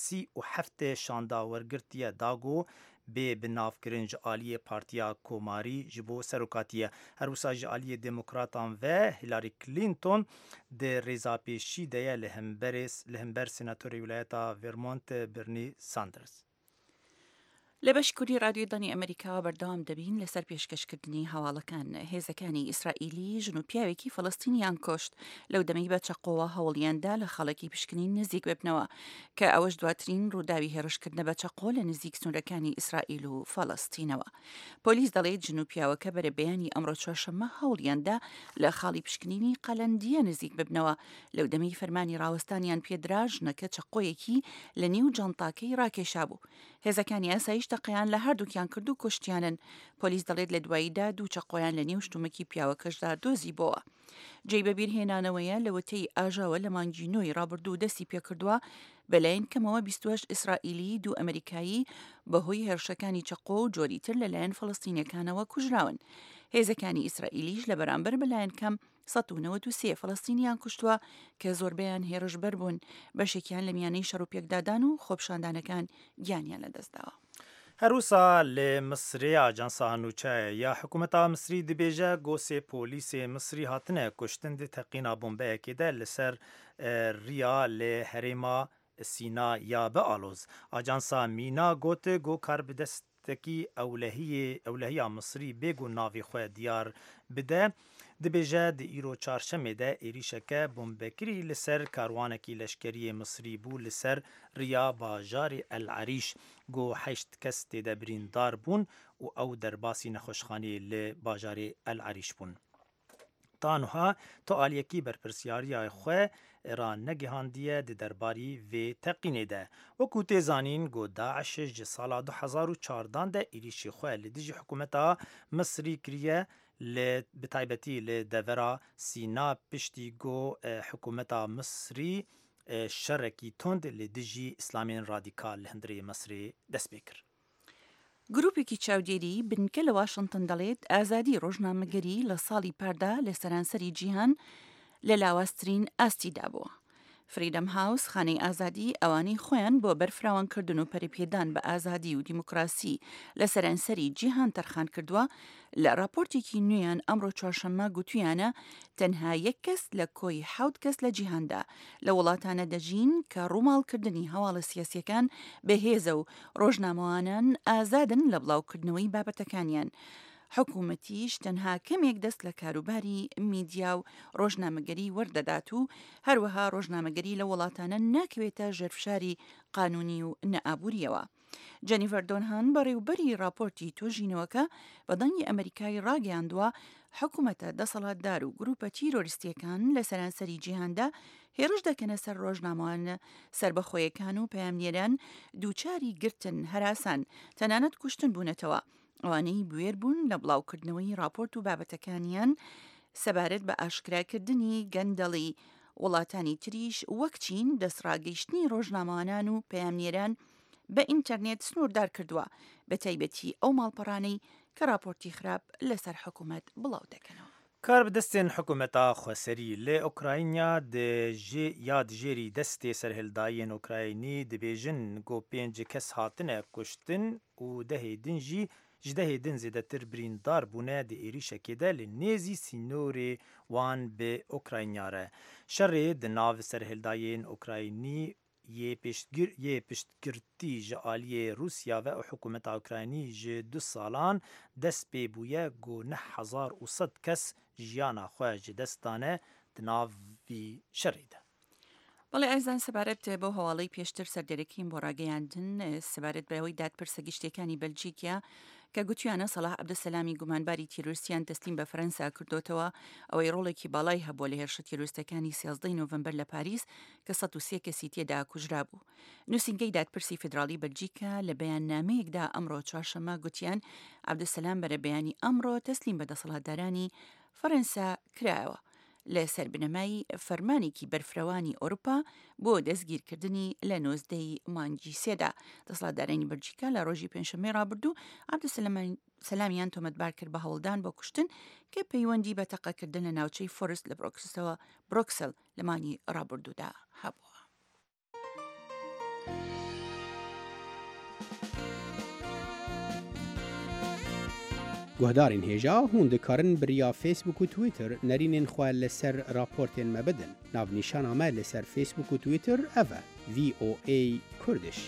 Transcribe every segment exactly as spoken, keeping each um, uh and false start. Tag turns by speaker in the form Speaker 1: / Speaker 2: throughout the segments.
Speaker 1: سی û heftê şanda wergirtiye da ku bê binavkirin ji aliyê Partiya Komarî ji bo serokatiye. Her wisa ji aliyê Demokratan ve Hillary Clinton di rêza pêşî de ye li hemberê li hember senatorê wîlayeta Vermont Bernie Sanders.
Speaker 2: لە بەشی کوردی رادیۆی دەنگی ئەمریکاوە بەردەوام دەبین لەسەر پێشکەشکردنی هەواڵەکان. هێزەکانی ئیسرائیلی ژن و پیاوێکی فەڵەستینیان کوشت لەو دەمەی بە چەقۆوە هەوڵیاندا لە خاڵێکی پشکنین نزیک ببنەوە، کە ئەوەش دواترین ڕووداوی هێرشکردنە بە چەقۆ لە نزیک سنوورەکانی ئیسرائیل و فەڵەستینەوە. پۆلیس دەڵێت ژن و پیاوەکە بەرەبەیانی ئەمڕۆ چوارشەممە هەوڵیاندا لە خاڵی پشکنینی قەلەندیە نزیک ببنەوە. لەو دەمەی فەرمانی ڕاوەستانیان پێدرا، ژنەکە چەقۆیەکی لە نێو جانتاکەی ڕاکێشابوو. هێزەکانی ئاسایش تەقەیان لە هەردووکیان کرد و کوشتیانن. پۆلیس دەڵێت لە دواییدا دوو چەقۆیان لە نێو شتومەکی پیاوەکەشدا دۆزیبۆوە. جێی بەبیرهێنانەوەیە لەوەتەی ئاژاوە لە مانگی نۆی ڕابردوو دەستی پێکردووە، بەلایەن کەمەوە بیست و هەشت ئیسرائیلی، دوو ئەمریکایی بەهۆی هێرشەکانی چەقۆ و جۆری تر لەلایەن فەڵەستینیەکانەوە کوژراون. هێزەکانی ئیسرائیلیش لە بەرامبەر بەلایەن کەم سەد و نەوەد و سێ فەڵەستینیان کوشتووە کە زۆربەیان هێرشبەر بوون، بەشێکیان لە میانەی شەڕ و پێکدادان و خۆپیشاندانەکان گیانیان لەدەستداوە.
Speaker 1: هەروسا لە Misrê ajansa nûçe ya hikûmeta Misrî dibêje ku sê polîsê Misrî hatine kuştin di teqîna bombeyekê de li ser riya li herêma Sîna ya bi aloz. Ajansa Mîna got ku karbidestekî ewlehiyê ewlehiya Misrî bê ku navê xwe diyar bide dibêje di îro çarşemê de êrîşeke bombekirî li ser karwanekî leşkeriyê Misrî bû li ser riya bajarê El Erîş ku heşt kes tê de birîndar bûn û ew derbasî nexweşxaneyê li bajarê El Erîş bûn. Ta niha tu aliyekî berpirsyariya xwe ranegihandiye di derbarî vê teqînê de. Wekû tê zanîn ku Daîş ji sala du hezar û çardan de êrîşê xwe li dijî hikûmeta Misrî kiriye li bi taybetî li devera Sîna piştî ku hikûmeta Misrî şerekî tund li dijî îslamên radîkal li hundirê Misrê dest pê kir.
Speaker 2: گروپێکی چاودێری بنکە لە واشنگتن دەڵێت ئازادی ڕۆژنامەگەری لە ساڵی پاردا لە سەرانسەری جیهان لە لاوازترین ئاستیدا بووە. فریدەم هاوس خانەی ئازادی ئەوانەی خۆیان بۆ بەرفراوانکردن و پەرەپێدان بە ئازادی و دیموکراسی لە سەرانسەری جیهان تەرخان کردووە، لە راپۆرتێکی نوێیان ئەمڕۆ چوارشەممە گوتویانە تەنها یەک کەس لە کۆی حەوت کەس لە جیهاندا لە وڵاتانە دەژین کە ڕووماڵکردنی هەواڵە سیاسیەکان بەهێزە و ڕۆژنامەوانان ئازادن لە بڵاوکردنەوەی بابەتەکانیان. حکوومەتیش تەنها کەمێک دەست لە کاروباری میدیا و ڕۆژنامەگەری وەردەدات و هەروەها ڕۆژنامەگەری لە وڵاتانە ناکەوێتە ژێرفشاری قانونی و نەئابووریەوە. جەنیفەر دۆنهان بەڕێوبەری راپۆرتی توێژینەوەکە بە دەنگی ئەمریکای ڕاگەیاندووە حکوومەتە دەسەڵاتدار و گروپە تیرۆریستیەکان لە سەرانسەری جیهاندا هێرش دەکەنە سەر ڕۆژنامەوانە سەربەخۆیەکان و پەیامنێران دووچاری گرتن، هەراسان، تەنانەت کوشتن بوونەتەوە. ئەوانەی بوێر بوون لە بڵاوکردنەوەی راپۆرت و بابەتەکانیان سەبارەت بە ئاشکراکردنی گەندەڵی. وڵاتانی تریش وەک چین دەستڕاگەیشتنی ڕۆژنامەوانان و پەیامنێران بە ئینتەرنێت سنووردار کردووە، بە تایبەتی ئەو ماڵپەڕانەی کە راپۆرتی خراپ لەسەر حکوومەت بڵاو دەکەنەوە.
Speaker 1: کاربدەستên hikûmeta xweserî li Ukrayna ya dijêrî destê serhildayên Ukraynî dibêjin ku pênc kes hatine kuştin û dehê din jî ji dehê din zêdetir birîndar bûne di êrîşekê de li nêzî sînorê wan bi Ukrayna re. Şerê di nav serhildayên Ukraynî yê piştgir yê piştgirtî ji aliyê Rûsya ve û hikûmeta Ukraynî ji du salan dest pê bûye ku neh hezar û sed kes jiyana xwe ji dest dane di nav vî şerê de.
Speaker 2: بەڵێ ئازان، سەبارەت بەو هەواڵەی پێشتر سەردەرەکەین بۆ ڕاگەیاندن سەبارەت بەوەی دادپرسە گشتیەکانی بەلجیکیا کە گوتیانە سەڵاح عەبدولسەلامی گومانباری تیرۆریستیان تەسلیم بە فەرەنسا کردوتەوە، ئەوەی ڕۆڵێکی باڵای هەبووە لە هێرشە تیرۆریستەکانی سێزدەی نۆڤەمبەر لە پاریس کە سەد و سێ کەسی تێدا کوژرا بوو. نووسینگەی دادپرسی فیدراڵی بەلجیکا لە بەیاننامەیەکدا ئەمڕۆ چوارشەممە گوتیان عەبدولسەلام بەرەبەیانی ئەمڕۆ تەسلیم بە دەسەڵاتدارانی فەرەنسا کرایەوە لەسەر بنەمای فەرمانێکی بەرفرەوانی ئەوروپا بۆ دەستگیرکردنی لە نۆزدەی مانگی سێدا. دەسەڵاتدارانی بەلجیکا لە ڕۆژی پێنجشەممەی ڕابردوو عەبدولسەلامیان تۆمەتبار کرد بە هەوڵدان بۆ کوشتن کە پەیوەندی بە تەقەکردن لە ناوچەی فۆرست لە برۆکسەوە برۆکسل لە مانگی ڕابردوودا هەبووە.
Speaker 3: Guhdarên hêja hûn dikarin bi riya Facebook û Twitter nerînên xwe li ser raportên me bidin. Navnîşana me li ser Facebook û Twitter ev e: V O A Kurdish.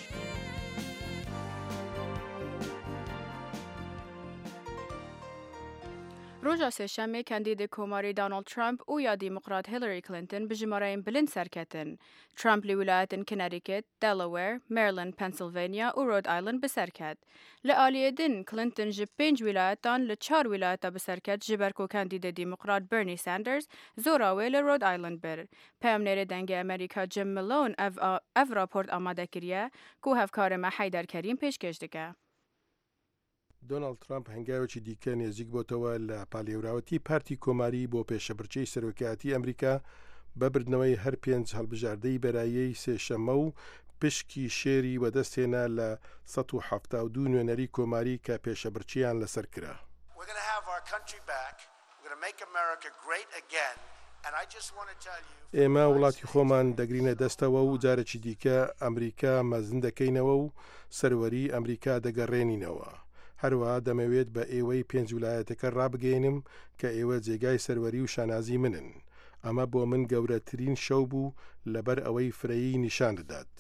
Speaker 4: Roja Sêşemê kandîdê Komarî Donald Trump û ya Demokrat Hillary Clinton bi jimareyên bilind serketin. Trump li wilayetên Connecticut, Delaware, Maryland, Pennsylvania û Rhode Island bi ser ket. Li aliyê din Clinton ji pênc wilayetan li çar wilayeta bi ser ket, ji ber ku kandîdê Demokrat Bernie Sanders zora wê li Rhode Island bir. Peyamnêrê Dengê Amerîka Jim Malone ev, ev raport amade kiriye ku hevkarê me Heyder Kerîm pêşkêş dike.
Speaker 5: دۆناڵد ترامپ هەنگاوێکی دیکە نێزیک بۆتەوە لە پالێوراوەتی پارتی کۆماری بۆ پێشەبرچەی سەرۆکایەتی ئەمریکا، بە بردنەوەی هەر پێنج هەڵبژاردەی بەرایەی سێشەمە و پشکی شێری وەدەستهێنا لە سەد و حەفتا و دوو نوێنەری کۆماری کە پێشەبرچیان لەسەر کرا.
Speaker 6: We're going to have our country back. We're going to make America great again. And I just want to tell you
Speaker 5: ئێمە وڵاتی خۆمان دەگرینە دەستەوە و جارێکی دیکە ئەمریکا مەزن دەکەینەوە و سەروەری ئەمریکا دەگەڕێنینەوە. هەروەها دەمەوێت بە ئێوەی پێنج ولایەتەکە ڕابگەێنم کە ئێوە جێگای سەروەری و شانازی منن. ئەمە بۆ من گەورەترین شەو بوو لەبەر ئەوەی فرەیی نیشان دەدات.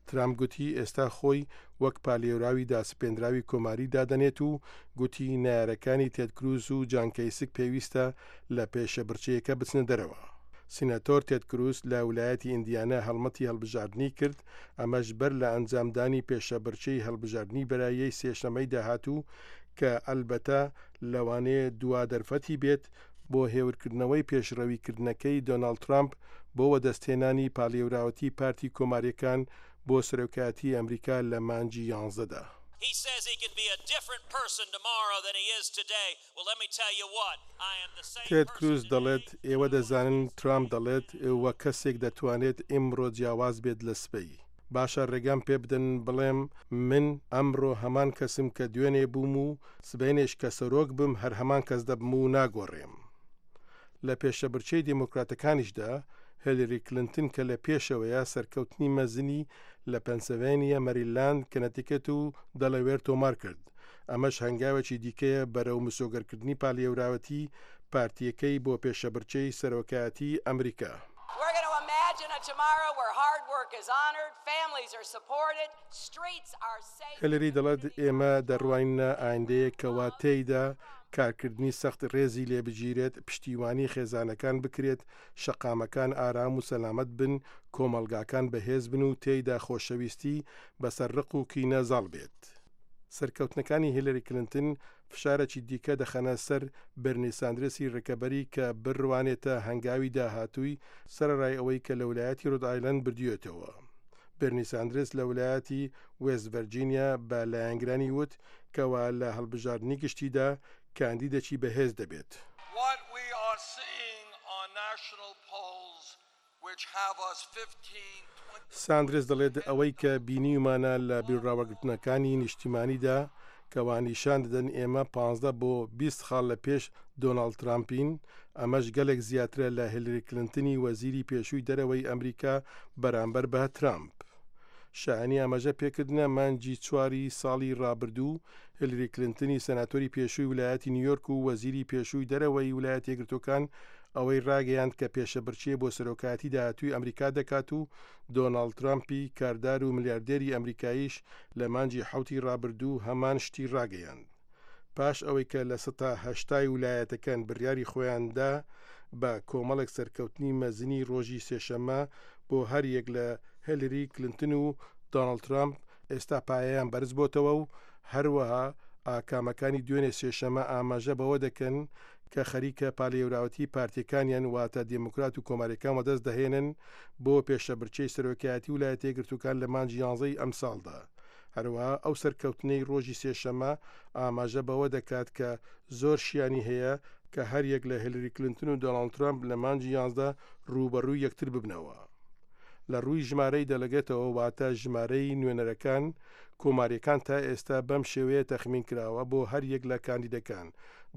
Speaker 5: ترامپ گوتی ئێستا خۆی وەک پالێوراوی داسپێنراوی کۆماری دادەنێت و گوتی نارەکانی تێد کروز و جان کەیسک پێویستە لە پێشەبرچەیەکە بچنە دەرەوە. سیناتۆر تێد کروز لە ولایەتی ئیندیانا هەڵمەتی هەڵبژاردنی کرد، ئەمەش بەر لە ئەنجامدانی پێشەبرچەی هەڵبژاردنی بەرایەی سێشەمەی داهاتوو، کە ئەلبەتە لەوانەیە دوا دەرفەتی بێت بۆ هێورکردنەوەی پێشڕەویکردنەکەی دۆناڵد ترامپ بۆ وەدەستهێنانی پالێوراوەتی پارتی کۆماریەکان بۆ سەرۆکایەتی ئەمریکا لە مانگی یانزەدا.
Speaker 7: He says he can be a different person tomorrow than he is today. Well, let me tell you what. I am the same
Speaker 5: تێد
Speaker 7: person
Speaker 5: کروز
Speaker 7: today.
Speaker 5: دەڵێت ئێوە دەزانن ترامپ دەڵێت وە کەسێک دەتوانێت ئیمڕۆ جیاواز بێت لە سبەی. باشە، ڕێگام پێ بدەن بڵێم من ئەمڕۆ هەمان کەسم کە دوێنێ بووم و سبەینێش کە سەرۆک بم هەر هەمان کەس دەبم و ناگۆڕێم. لە پێشەبرچەی دێموکراتەکانیشدا هێلری کلنتن کە لە پێشەوەیە، سەرکەوتنی مەزنی لە پەنسلڤانیا، مەریلاند، کەنەتیکەت و دەلەوێر تۆمار کرد. ئەمەش هەنگاوێکی دیکەیە بەرەو مسۆگەرکردنی پالێوراوەتی پارتیەکەی بۆ پێشەبرچەی سەرۆکایەتی ئەمریکا.
Speaker 8: We're going to imagine a tomorrow where hard work is honored, families are supported, streets are safe.
Speaker 5: هێلری دەڵێت ئێمە دەڕوانینە ئایندەیەکەوە تێیدا کارکردنی سەخت ڕێزی لێبگیرێت، پشتیوانی خێزانەکان بکرێت، شەقامەکان ئارام و سەلامەت بن، کۆمەلگاکان بەهێز بن و تێیدا خۆشەویستی بەسەر ڕق و کینە زاڵ بێت. سەرکەوتنەکانی هیلری کلنتن فشارێکی دیکە دەخەنە سەر بەرنی ساندرسی ڕکەبەری کە بڕوانێتە هەنگاوی داهاتووی، سەرەڕای ئەوەی کە لە ولایەتی ڕۆد ئایلەند بردوێتەوە. بەرنی ساندرس لە ولایەتی وێست ڤەرجینیا بە لایەنگرانی وت کەوا لە هەڵبژاردنی گشتیدا کاندیدێکی بەهێز دەبێت.
Speaker 9: What we are seeing on national polls, which have us fifteen, twenty
Speaker 5: ساندرس دەڵێت ئەوەی کە بینیومانە لە بیرڕاوەگرتنەکانی نیشتیمانیدا کەوا نیشان دەدەن ئێمە پانزدە بۆ بیست خاڵ لە پێش دۆناڵد ترامپین، ئەمەش گەلێک زیاترە لە هێلری کلنتنی وەزیری پێشووی دەرەوەی ئەمریکا بەرامبەر بە ترامپ. شایانی ئاماژە پێکردنە مانگی چواری ساڵی ڕابردوو هێلری کلنتنی سەناتۆری پێشووی ولایەتی نیویۆرک و وەزیری پێشووی دەرەوەی ولایەتی یەکگرتووەکان ئەوەی ڕاگەیاند کە پێشەبرچێ بۆ سەرۆکایەتی داهاتووی ئەمریکا دەکات و دۆناڵد ترامپی کاردار و ملیاردێری ئەمریکاییش لە مانگی حوتی ڕابردوو هەمان شتی ڕاگەیاند. پاش ئەوەی کە لە سەتا هەشتای ولایەتەکان بڕیاری خۆیاندا، بە کۆمەڵێک سەرکەوتنی مەزنی ڕۆژی سێشەمە بۆ هەر یەک لە هێلری کلنتن و دۆناڵد ترامپ ئێستا پایەیان بەرز بۆتەوە و هەروەها ئاکامەکانی دوێنێ سێشەمە ئاماژە بەوە دەکەن کە خەریکە پالێوراوەتی پارتیەکانیان، واتە دێموکرات و کۆماریەکان، وەدەست دەهێنن بۆ پێشەبرچەی سەرۆکایەتی ولایەتە یەکگرتووەکان لە مانگی یانزەی ئەمساڵدا. هەروەها ئەو سەرکەوتنەی ڕۆژی سێشەمە ئاماژە بەوە دەکات کە زۆر شیانی هەیە کە هەر یەک لە هێلری کلنتن و دۆناڵد ترامپ لە مانگی یانزە ڕووبەڕووی یەکتر ببنەوە. لە ڕووی ژمارەی delegate ەوە، واتە ژمارەی نوێنەرەکان، کۆماریەکان تا ئێستا بەم شێوەیە تەخمین کراوە بۆ هەر یەک لە کاندیدەکان: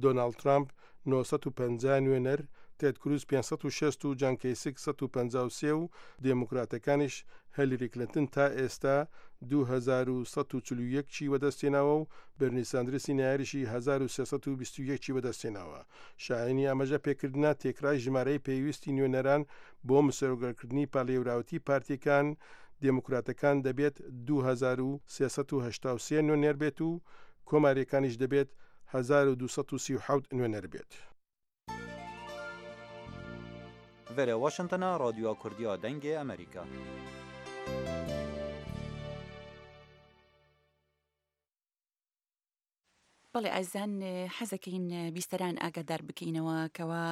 Speaker 5: دۆناڵد ترامپ نۆ سەد و پەنجا نوێنەر، تێد کروز پێنج سەد و شەست و جان کەیسک سەد و پەنجا و سێ و دێموکراتەکانیش هیلری کلینتن تا ئێستا دوو هەزار و سەد و چل و یەک چی بەدەستێناوە و بەرنی ساندرسی نایاریشی هەزار و سێ سەد و بیست و یەک چی بەدەستێناوە. شایانی ئاماژە پێکردنە تێکرای ژمارەی پێویستی نوێنەران بۆ مسۆگەرکردنی پاڵێوراوەتی پارتیەکان دێموکراتەکان دەبێت دوو هەزار و سێ سەد و هەشتا و سێ نوێنەر بێت و کۆماریەکانیش دەبێت هەزار و دوو سەد و سی و حەوت نوێنەر بێت.
Speaker 10: ڤێرە واشنگتن رادیو کوردیا دەنگێ ئەمریکا.
Speaker 2: بەڵێ ئازان، حەزەکەین بیستەران ئاگادار بکەینەوە کەوا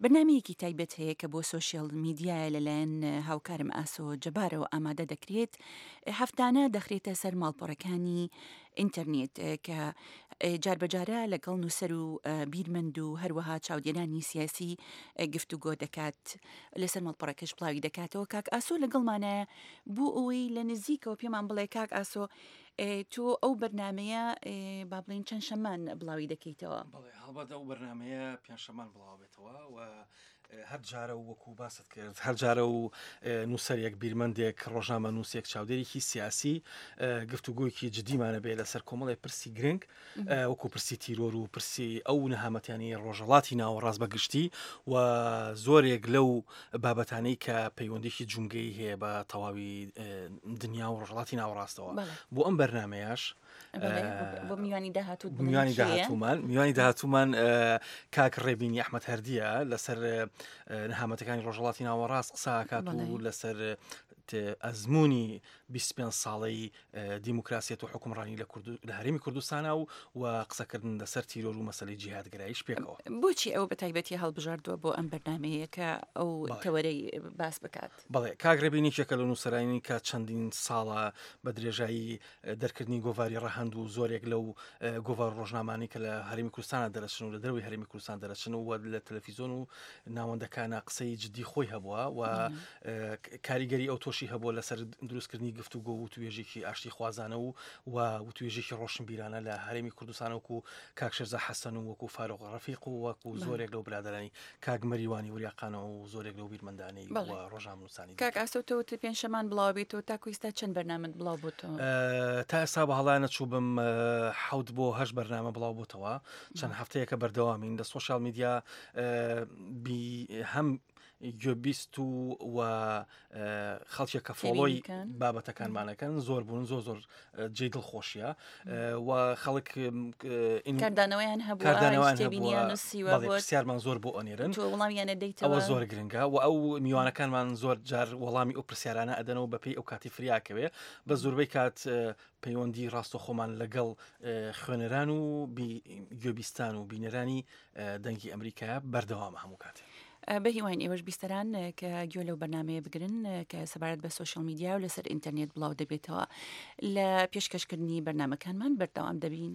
Speaker 2: بەرنامەیەکی تایبەت هەیە کە بۆ سۆشیال میدیایە لەلایەن هاوکارم ئاسۆ جەبارەوە ئامادە دەکرێت، هەفتانە دەخرێتە سەر ماڵپەڕەکانی ئینتەرنێت کە جاربەجارە لەگەڵ نووسەر و بیرمەند و هەروەها چاودێرانی سیاسی گفتوگۆ دەکات، لەسەر ماڵپەڕەکەش بڵاوی دەکاتەوە. کاک ئاسۆ لەگەڵمانە بۆ ئەوەی لە نزیکەوە پێمان بڵێ کاک ئاسۆ تۆ ئەو بەرنمەیە با بڵێین چەند شەمان بڵاوی دەکەیتەوە؟
Speaker 11: بەڵێ هەڵبەت ئەو بەرنمەیە پێنج شەمان بڵاو بێتەوە و هەر جارە و وەکو باست کرد هەر جارە و نووسەرێک بیرمەندێک ڕۆژنامە نووسێک چاودێرێکی سیاسی گفتوگۆیەکی جدیمانە بێ لەسەر کۆمەڵی پرسی گرنگ وەکو پرسی تیرۆر و پرسی ئەو نەهامەتیانی ڕۆژهەڵاتی ناوەڕاست بەگشتی و زۆرێک لەو بابەتانەی کە پەیوەندێکی جومگەی هەیە بە تەواوی دنیا و ڕۆژهەڵاتی ناوەڕاستەوە. بۆ ئەم بەرنمەیەش
Speaker 2: بۆ میوانی داهاتوو
Speaker 11: میوانی داهاتوومان میوانی داهاتوومان کاک ڕێبینی ئەحمەد هەردیە لەسەر نەهامەتەکانی ڕۆژهەڵاتی ناوەڕاست قسە ئەکات و لەسەر ئەزمموی بیست و پێنج ساڵەی دیموکراسیەت و حکومڕانی لە هەرێمی کوردستانە و و قسەکردن لەسەر تیرۆر و مەسەلەی جیهادگەراییش پێکەوە.
Speaker 2: بۆچی ئەو بە تایبەتی هەڵبژاردووە بۆ ئەم بەرنمەیە کە ئەو تەوەرەی باس بکات؟
Speaker 11: بەڵێ کاک ڕێبین یەکێکە لە نووسەرانی کە چەندین ساڵە بە درێژایی دەرکردنی گۆڤاری ڕەهەند و زۆرێک لەو گۆڤار ڕۆژنامانەی کە لە هەرێمی کوردستانە دەرەچن و لە دەرەوەی هەرێمی کوردستان دەرەچن و لە تەلەفیزیۆن و ناوەندەکانە قسەی جدی خۆی هەبووە و کاریگەری ئەو تۆشی هەبووە لەسەر دروستکردنی گفتوگۆ و وتوێژێکی ئاشتی خوازانە و وتوێژێکی ڕۆشنبیرانە لە هەرێمی کوردستان وەکو کاک شێرزا حەسەن و وەکو فاروق ڕەفیق و وەکو زۆرێک لەو برادەرانی کاک مەریوانی وریاقانە و زۆرێک لەو بیرمەندانەی و ڕۆژنامەنووسانی.
Speaker 2: کاک ئاسۆ تۆ وتت پێنجشەمان بڵاو بێتەوە، تاکو ئێستا چەند بەرنامەت بڵاو بۆتەوە؟
Speaker 11: تا ئێستا بە هەڵایە نەچووبم حەوت بۆ هەشت بەرنامە بڵاو بۆتەوە، چەند هەفتەیەکە بەردەوامین لە سۆشیال میدیا هەم گوێبیست و و خەڵکێک کە follow ی بابەتەکانمانەکەن زۆر بوون، زۆر زۆر جێی دڵخۆشیە و خەڵک
Speaker 2: کاردانەوەیان هەبووە،
Speaker 11: پرسیارمان زۆر بۆ ئەنێرن،
Speaker 2: تۆ وەڵامیانە دەیتەوە،
Speaker 11: ئەوە زۆر گرنگە و ئەو میوانەکانمان زۆر جار وەڵامی ئەو پرسیارانە ئەدەنەوە بەپێی ئەو کاتی فریاکەوێ. بە زۆربەی کات پەیوەندی ڕاستەخۆمان لەگەڵ خوێنەران و گوێبیستان و بینەرانی دەنگی ئەمریکا بەردەوامە هەموو کاتێ.
Speaker 2: بە هیواین ئێوەش بیستەران کە گوێ لەو بەرنمەیە بگرن کە سەبارەت بە سۆشیال میدیا و لەسەر ئینتەرنێت بڵاو دەبێتەوە. لە پێشکەشکردنی بەرنامەکانمان بەردەوام دەبین.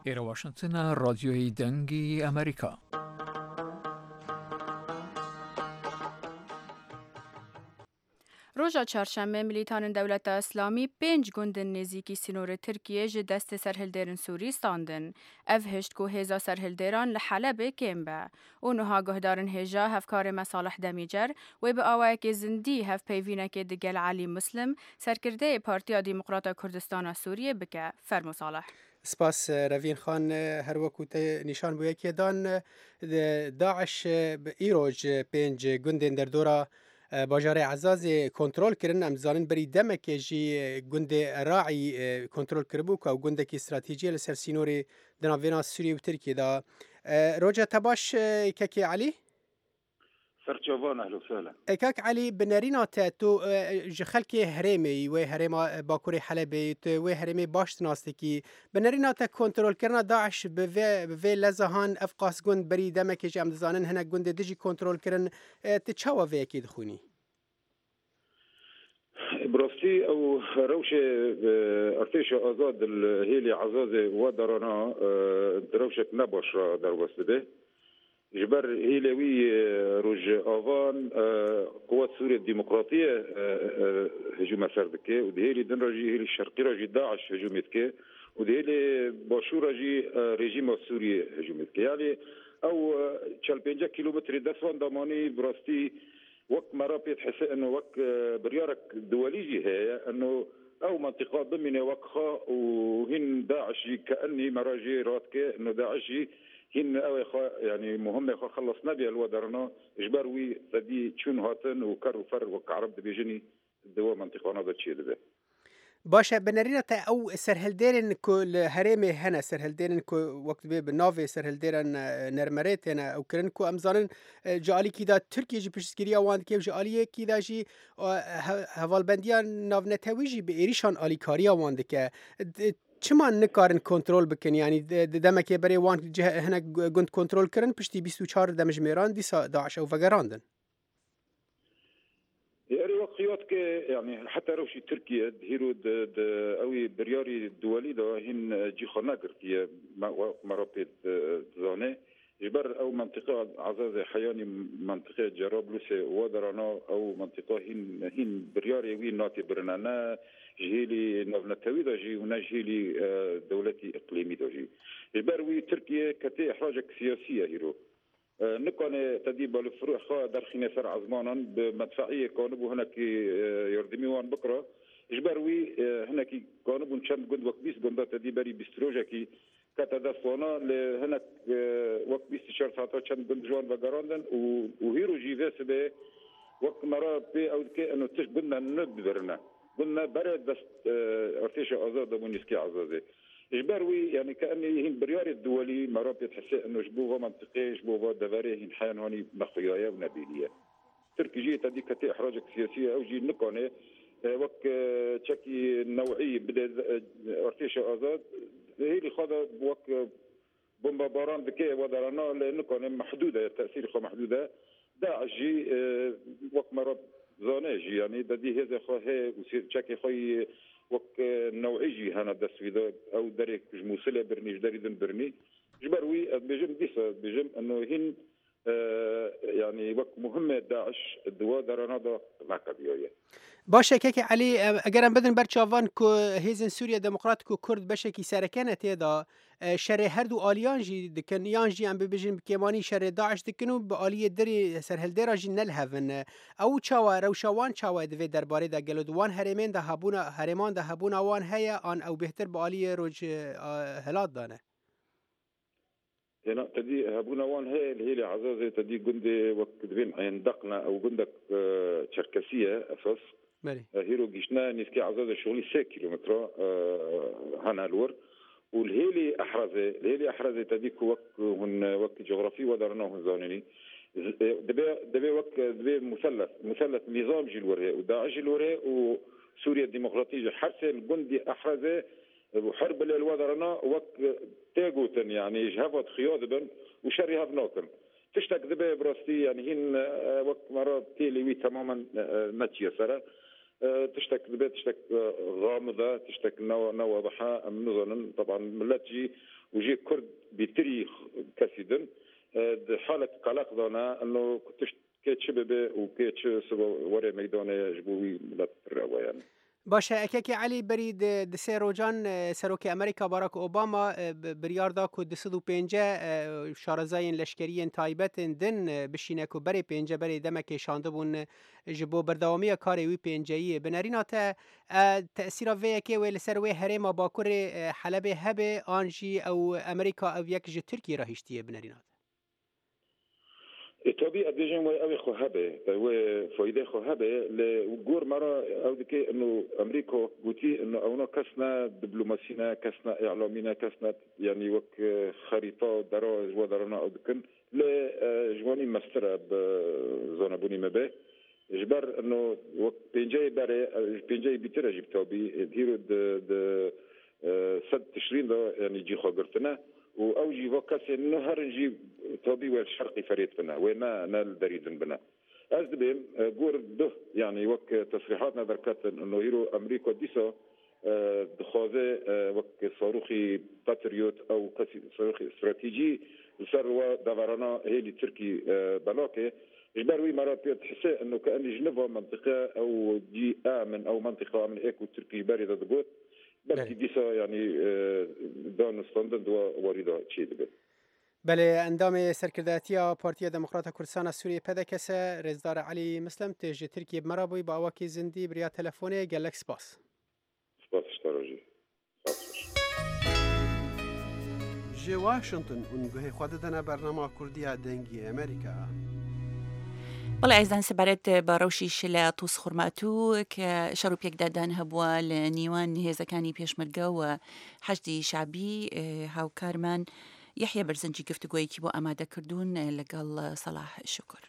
Speaker 12: ئێرە واشنگتنە، رادیۆی دەنگی ئەمریکا.
Speaker 4: ڕۆژا چهارشەممە ملیتانن دەولەتە ئیسلامی پێنج گوندن نێزیکی سینۆرê Tirkiye ji destê serhildêrên Sûrî standin. Ev hişt ku hêza serhildêran li Helebê kêm be û niha guhdarên hêja hevkarê me Salih Demîcer wê bi awayekê zindî hevpeyvînekê digel Elî Muslim serkirdeyê Partiya Demokrata Kurdistana Sûriyê bike. Fermo Salih.
Speaker 3: سپاس رەڤین خان. هەروەکو نیشان بۆ یەکێدان داعش ئیرۆژ پێنج گوندên دەردۆرا باژارê Ezazê kontrol kirin. Em dizanin berî demekê jî gundê Raî kontrol kiribû ku ew gundekî stratejî li ser sînorê di navbêna Sûriye û Tirkiyê de. Roja te baş kekê Elî؟
Speaker 13: سەرچاوان ئەهلا وسهلا.
Speaker 3: کاک عەلی بنەرîna te tu ji xelkê herêmê wê herêma Bakurê Helebê tu wê herêmê baş dinastekî بنەرîna te kontrolkirina Daeş bi vê bi vê lezahan ev qas gund berî demekê jî em dizanin hinek gundê dijî kontrol kirin tu çawa vê yekê dixwînî؟
Speaker 13: براستی ئەو رەوشێ ئەرتێشە ئازاد هێلی عەزازێ وا دەرانە درەوشێک نەباش را دەربەست دەبێ. جبر هيلوي روج آوان قوات سوريا الديمقراطية هجوم سردكي ودهيلي دن راجي هيلي الشرقي راجي داعش هجوم يتكي ودهيلي باشور راجي رژیم سوریه هجوم يتكي يعني او چل پنجاه کیلومتر دسوان دامانی براستي وك مرابط حس انه وك بريارك دوليجي هي انه او منطقه ضمن وقخه وهن داعش كاني مراجي راتك انه داعشي هن او خا يعني مهمه خا خلصنا بها الودرنا اجباروي تدي تشون هاتن وكر وفر وكعرب بيجني دوا منطقه نظر تشي دبه.
Speaker 3: باشە بنەرینە تا ئەو سەرهەلدێرن کو لە هەرێمێ هەنە سەرهەلدێرن کو وەک دبێ bi navê serhildêran nermerê têne ew kirin ku em zanin ji aliyekî da Tirkiye jî piştgiriya wan dike ji aliyekî da jî hevalbendiya navnetewî jî bi êrişan alîkariya wan dike. Çima nikarin kontrol bikin yani di demekê berê wan hinek gund kontrol kirin piştî bîst û çar demjimêran dîsa Daeş ew vegerandin.
Speaker 13: يعني وقيات يعني حتى روشي تركيا هيرو اوي برياري الدولي ده هن جي خناقر مرابط زانه جبر او منطقه عزازه حياني منطقه جرابلس ودرانا او منطقه هن هن برياري وين ناتي برنانا جهيلي نافنتوي ده جي ونجهيلي دولتي اقليمي ده جي جبر وي تركيا كتي احراجك سياسيه هيرو نكون تديب الفروع خا درخينه سر عزمانا بمدفعيه كانوا هناك يردمي وان بكره اجباروي هناك كانوا چند گند وقت بیست گند تديبري بستروجكي كتدفونا هناك وقت بیست چهار ساعت چند گند جوان وگراندن و هيرو جي به وقت مرا بي او كي انه تش قلنا ندبرنا قلنا برد بس ارتش ازاد مونيسكي عزازي اجباروي يعني كاني هن بريار الدولي مرابط تحس انه جبوها منطقيه جبوها دفاري هن حيان هوني مخيايا ونبيليه تركي جي تديك تي احراجك سياسيه او جي نكونه وك تشكي نوعي بدا ارتش ازاد هي اللي خذ وك بومبا باران دكي ودرانا لانه محدوده تاثير خو محدوده داعش جي وك مراب زانه يعني ددي هذا خو هي تشكي خوي وك نوعيجي هنا دسويدا او دريك موصله برني جدري دن برني جبروي بيجم ديسا بيجم انه هن آه يعني وك مهمه داعش الدواء درانا دا ناقديويه.
Speaker 3: باشە کێکی عەلی ئەگەر ئەم بدن بەرچاوان کو هێزن سووریا دەموکرات و کورد بەشێکی سەرەکەنە تێدا شەرێ هەردوو ئالیان ژی دکن یان ژی ئەم ببێژین بکێمانی شەرێ داعش دکن و بە ئالیە دەری سەرهەلدێرا ژی نەلهەڤن ئەو چاوە رەوشەوان چاوە divê derbarê de gelo di wan herêmên de hebûna herêman de hebûna wan heye an ew bêhtir bi aliyê roj hilat dane.
Speaker 13: هنا تدي هبونا وان هي اللي هي عزازة تدي جندي وكدبين عين دقنا او جندك شركسية اساس هيرو جيشنا نسكي عزازة شغلي سة كيلومتر هنا الور والهيلي احرزة الهيلي احرزة تديك وك هن وك جغرافي ودرنا هن زانني دبي دبي وك دبي مثلث مثلث نظام جي الوري وداعش الوري وسوريا الديمقراطية حرسة الجندي احرزة وحرب الوادرنا وك تاغوتن يعني جهفت خياضبن وشريها بناكن تشتك دبي براستي يعني هن وك مرات تيلي تماما نتشي سرا تشتك دبي تشتك غامضة تشتك نو نواضحة نظن طبعا ملتجي وجي كرد بتري كسيدن حالة قلق دانا انه تشت كيتش ببي وكيتش سبا وري ميدانه جبوي ملت يعني.
Speaker 3: باشە ئەکێکی عەلی بەری دسێ ڕۆژان سەرۆکی ئەمریکا باراک ئۆباما بریاردا ku du sed û pênce şarezayên leşkeriyên taybetên din bişîne ku berê pênce berê demekê şandibûn ji bo berdewamiya karê wî pênceyiyê. Binerîna te tesîra vê yekê wê li ser wê herêma bakurê Helebê hebe an jî ew Amerîka ew yek ji Tirkiyê re hiştiye binerîna te؟
Speaker 13: طبيعي بيجن وي خو هبه وي فايده خو هبه لجور مرة او دكي انه امريكا قوتي انه اونا كسنا دبلوماسينا كسنا اعلامينا كسنا يعني وك خريطه درا ودرنا او دكن ل جواني مستر بزونه بوني مبه جبر انه وك بينجاي بري بينجاي بيتر جبتو بي ديرو د سد تشرين ده يعني جي خو قرتنا واوجي وكاس النهر نجي طبي والشرقي فريد بنا وما نال دريدن بنا از بهم جور ده يعني وك تصريحاتنا دركات انه هيرو امريكا ديسا دخوازه وەک ساروخی پاتریوت ئەو کەسی ساروخی استراتیجی لەسەر وە دەڤەرانە هێلی تورکی بەلاکێ ji ber wî mera pê dihise انه كأني جنفا منطقة او دي امن او منطقة امن ايكو تركي بري دگوت بلکی دیسا یعنی دانستاندن دوا واریدا چی دبێت.
Speaker 3: بله ئەندام سەرکردایەتیە پارتیە دەموکراتە کوردستانە سووریە پەدەکەسە رێزدار عەلی مسلم تێژی ترکیە بمەرا بووی بە ئاواکی زندی بریا تەلەفۆنێ گەلەک سپاس.
Speaker 13: سپاس شتارۆژی.
Speaker 14: ji Washington û guhê xwe didine bernama Kurdiya Dengê Amerîka.
Speaker 2: بەڵێ ئازیزان سەبارەت بە ڕەوشی لە تووس خورماتوو کە شەڕ و پێکدادان هەبووە لە نێوان هێزەکانی پێشمەرگە و حەشدی شەعبی هاوکارمان یەحیە بەرزنجی گفتوگۆیەکی بۆ ئامادە کردوون لەگەڵ سەڵاح شوکر.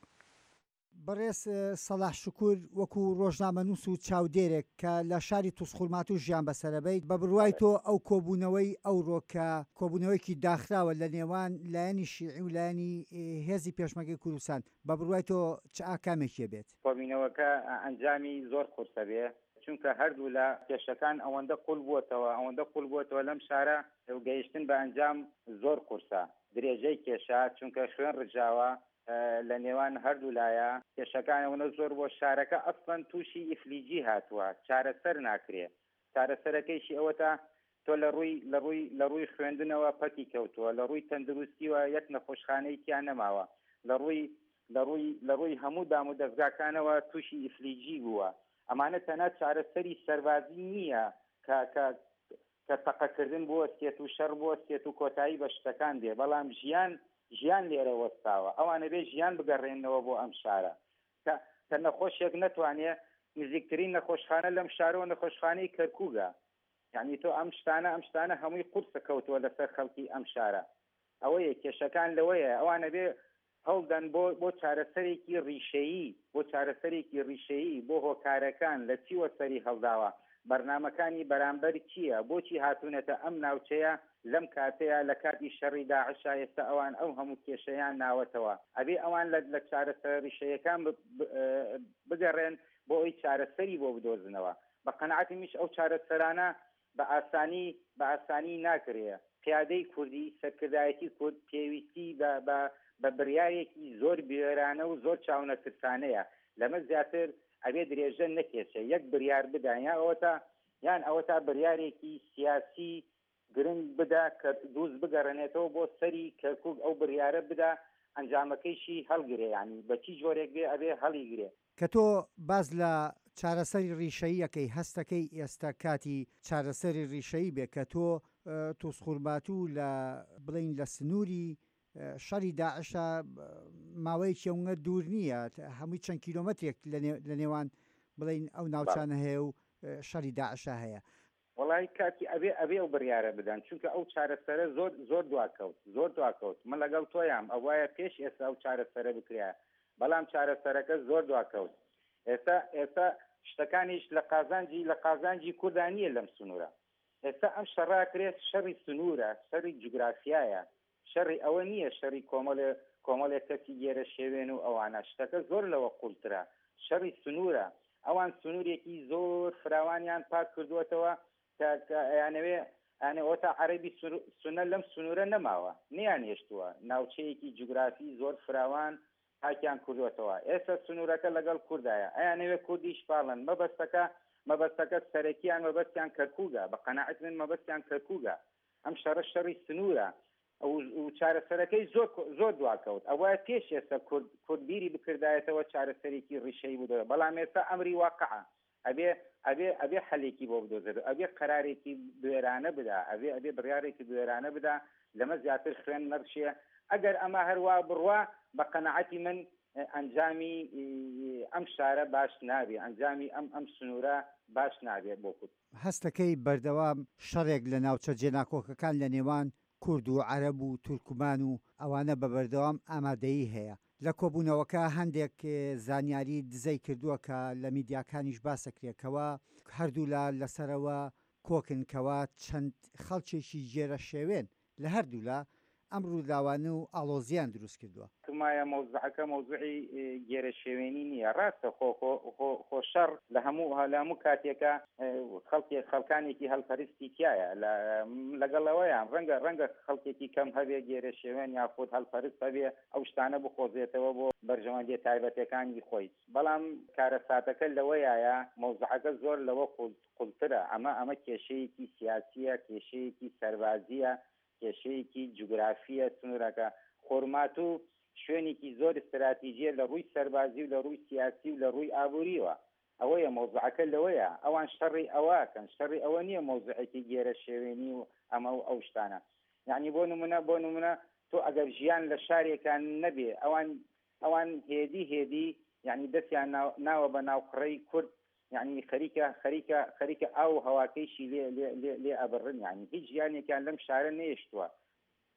Speaker 15: بەڕێز سەڵاح شوکر وەکو ڕۆژنامەنووس و چاودێرێک کە لە شاری تووسخورماتوو ژیان بەسەرەبەیت، بە بڕوای تۆ ئەو کۆبوونەوەی ئەوڕۆ کە کۆبوونەوەیەکی داخراوە لە نێوان لایەنی شیعی و لایەنی هێزی پێشمەرگەی کوردستان، بە بڕوای تۆ چ ئاکامێکی بێت؟
Speaker 16: کۆبوونەوەکە ئەنجامی زۆر قورسە بێ، چونکە هەردوو لە کێشەکان ئەوەندە قوڵ بووەتەوە، ئەوەندە قوڵ بووەتەوە لەم شارە گەیشتن بە ئەنجام زۆر قورسە. درێژەی کێشە چونکە خوێن ڕژاوە لە نێوان هەردوو لایە، کێشەکان ئەوەنە زۆر بۆ شارەکە ئەسڵەن تووشی ئیفلیجی هاتووە، چارەسەر ناکرێ. چارەسەرەکەیشی ئەوەتە تۆ لە ڕووی لە ڕووی لە ڕووی خوێندنەوە پەکی کەوتووە، لە ڕووی تەندروستیوە یەک نەخۆشخانەی تیا نەماوە، لە ڕووی لە ڕووی لە ڕووی هەموو دام و دەستگاکانەوە تووشی ئیفلیجی بووە. ئەمانە تەنها چارەسەری سەربازی نییە کە کە کە تەقەکردن بوەستێت و شەڕ بوەستێت و کۆتایی بە شتەکان دێ، بەڵام ژیان ژیان لێرە وەستاوە. ئەوانە بێ ژیان بگەڕێنەوە بۆ ئەم شارە کە کە نەخۆشێک نەتوانێ نزیکترین نەخۆشخانە لەم شارەوە نەخۆشخانەی کەرکووکە. یعنی تۆ ئەم شتانە ئەم شتانە هەمووی قورسە کەوتووە لەسەر خەڵکی ئەم شارە. ئەوەیە کێشەکان لەوەیە ئەوانە بێ هەوڵدەن بۆ بۆ چارەسەرێکی ڕیشەیی، بۆ چارەسەرێکی ڕیشەیی بۆ هۆکارەکان لە چیوە سەری هەڵداوە، بەرنامەکانی بەرامبەر چییە، بۆچی هاتوونەتە ئەم ناوچەیە لەم کاتەیە لە کاتی شەڕی داعشا ئێستا ئەوان ئەو هەموو کێشەیان ناوەتەوە. ئەبێ ئەوان لە چارەسەر ڕیشەیەکان بگەڕێن بۆ ئەوی چارەسەری بۆ بدۆزنەوە. بە قەناعەتی منیش ئەو چارەسەرانە بە ئاسانی بە ئاسانی ناکرێ. قیادەی کوردی، سەرکردایەتی کورد پێویستی بە بە بڕیارێکی زۆر بوێرانە و زۆر چاونەترسانەیە. لەمە زیاتر ئەبێ درێژە نەکێشە، یەک بڕیار بدەن، یان ئەوەتا یان ئەوەتا بڕیارێکی سیاسی گرنگ بدا کە دووز بگەڕێنێتەوە بۆ سەری کەرکووک، ئەو بڕیارە بدا ئەنجامەکەیشی هەڵگرێ، یعنی بە چی جۆرێک بێ ئەبێ هەڵیگرێ.
Speaker 15: کە تۆ باز لە چارەسەری ڕیشەییەکەی هەستەکەی ئێستا کاتی چارەسەری ڕیشەیی بێ کە تۆ تووسخورماتوو لە بڵین لە سنووری شەڕی داعشە ماوەیەکی ئەوەنە دوور نییە، هەمووی چەند کیلۆمەترێک لە نێوان بڵین ئەو ناوچانە هەیە و شەڕی داعشە هەیە.
Speaker 16: وەڵی کاتی ئەبێ ئەبێ ئەو بڕیارە بدەن، چونکە ئەو چارەسەرە زۆر زۆر دواکەوت، زۆر دواکەوت. من لەگەڵ تۆیام ئەوایە پێش ئێستا ئەو چارەسەرە بکرایە، بەڵام چارەسەرەکە زۆر دواکەوت. ئێستا ئێستا شتەکانیش لە قازانجی لە قازانجی کوردان نییە لەم سنوورە. ئێستا ئەم شەڕا کرێت شەڕی سنوورە، شەڕی جوگرافیایە، شەڕی ئەوە نییە شەڕی کۆمەڵێ کۆمەڵێک کەسی گێرە شێوێن و ئەوانە. شتەکە زۆر لەوە قوڵترە، شەڕی سنوورە. ئەوان سنوورێکی زۆر فراوانیان پاک کردووەتەوە کە ئەیانەوێ ئەوەتا عەرەبی سونە لەم سنوورە نەماوە، نیان هێشتووە. ناوچەیەکی جوگرافی زۆر فراوان پاکیان کردووەتەوە. ئێستا سنوورەکە لەگەڵ کوردایە، ئەیانەوێ کوردیش پاڵن. مەبەستەکە مەبەستەکە سەرەکیان مەبەستیان کەرکووکە، بە قەناعەت من مەبەستیان کەرکووکە. ئەم شەڕە شەڕی سنوورە و چارەسەرەکەی زۆر زۆر دواکەوت. ئەوە پێش ئێستا کورد کورد بیری بکردایەتەوە چارەسەرێکی ڕیشەیی بدۆزێت، بەڵام ئێستا ئەمری واقعە. ئەبێ ئەبێ ئەبێ حەلێکی بۆ بدۆزێت، ئەبێ قەرارێکی بوێرانە بدا، ئەبێ ئەبێ بڕیارێکی بوێرانە بدا، لەمە زیاتر خوێن نەڕشێ. ئەگەر ئەمە هەروە بڕوا بە قەناعەتی من ئەنجامی ئەم شارە باش نابێ، ئەنجامی ئەم ئەم سنوورە باش نابێ بۆ کورد.
Speaker 15: هەستەکەی بەردەوام شەڕێک لە ناوچە جێناکۆکەکان لە نێوان کورد و عەرەب و تورکمان و ئەوانە بە بەردەوام ئامادەیی هەیە. لە کۆبوونەوەکە هەندێک زانیاری دزەی کردووە کە لە میدیاکانیش باسەکرێتەوە، هەردوولا لەسەرەوە کۆکنکەوە چەند خەڵکێکی گێرە شێوێن لە هەردوولا ئەم ڕووداوانە و ئاڵۆزیان دروست کردووە.
Speaker 16: وایە مەوزوعەکە مەوزوعی گێرەشێوێنی نییە. ڕاستە خۆ خۆ خۆ شەڕ لە هەموو لە هەموو کاتێکە خەڵکێک خەڵکانێکی هەلپەرستی تایە، لەگەڵ ئەوەیان ڕەنگە ڕەنگە خەڵکێکی کەم هەبێ گێرەشێوێن یاخود هەلپەرست هەبێ ئەو شتانە بخۆزێتەوە بۆ بەرژەوەندیە تایبەتەکانی خۆی، بەڵام کارەساتەکە لەوەیە مەوزوعەکە زۆر لەوە قوڵترە. ئەمە ئەمە کێشەیەکی سیاسیە، کێشەیەکی سەربازیە، کێشەیەکی جوگرافیە. سنوورەکە خۆرماتوو شوێنێکی زۆر استراتیژیە لە ڕووی سەربازی و لە ڕووی سیاسی و لە ڕووی ئابووریەوە. ئەوەیە مەوزوعەکە لەوەیە ئەوان شەڕی ئەوەکەن، شەڕی ئەوە نییە مەوزوعێکی گێرە شێوێنی و ئەمە و ئەو شتانە. یعنی بۆ نمونە بۆ نمونە تۆ ئەگەر ژیان لە شارێکان نەبێ، ئەوان ئەوان هێدی هێدی یعنی دەستیان ناوە بە ناوقڕەی کورد، یعنی خەریکە خەریکە خەریکە ئاو هەواکەیشی لێ لێ لێ لێ ئەبڕن، یعنی هیچ ژیانێکیان لەم شارە نەیشتووە.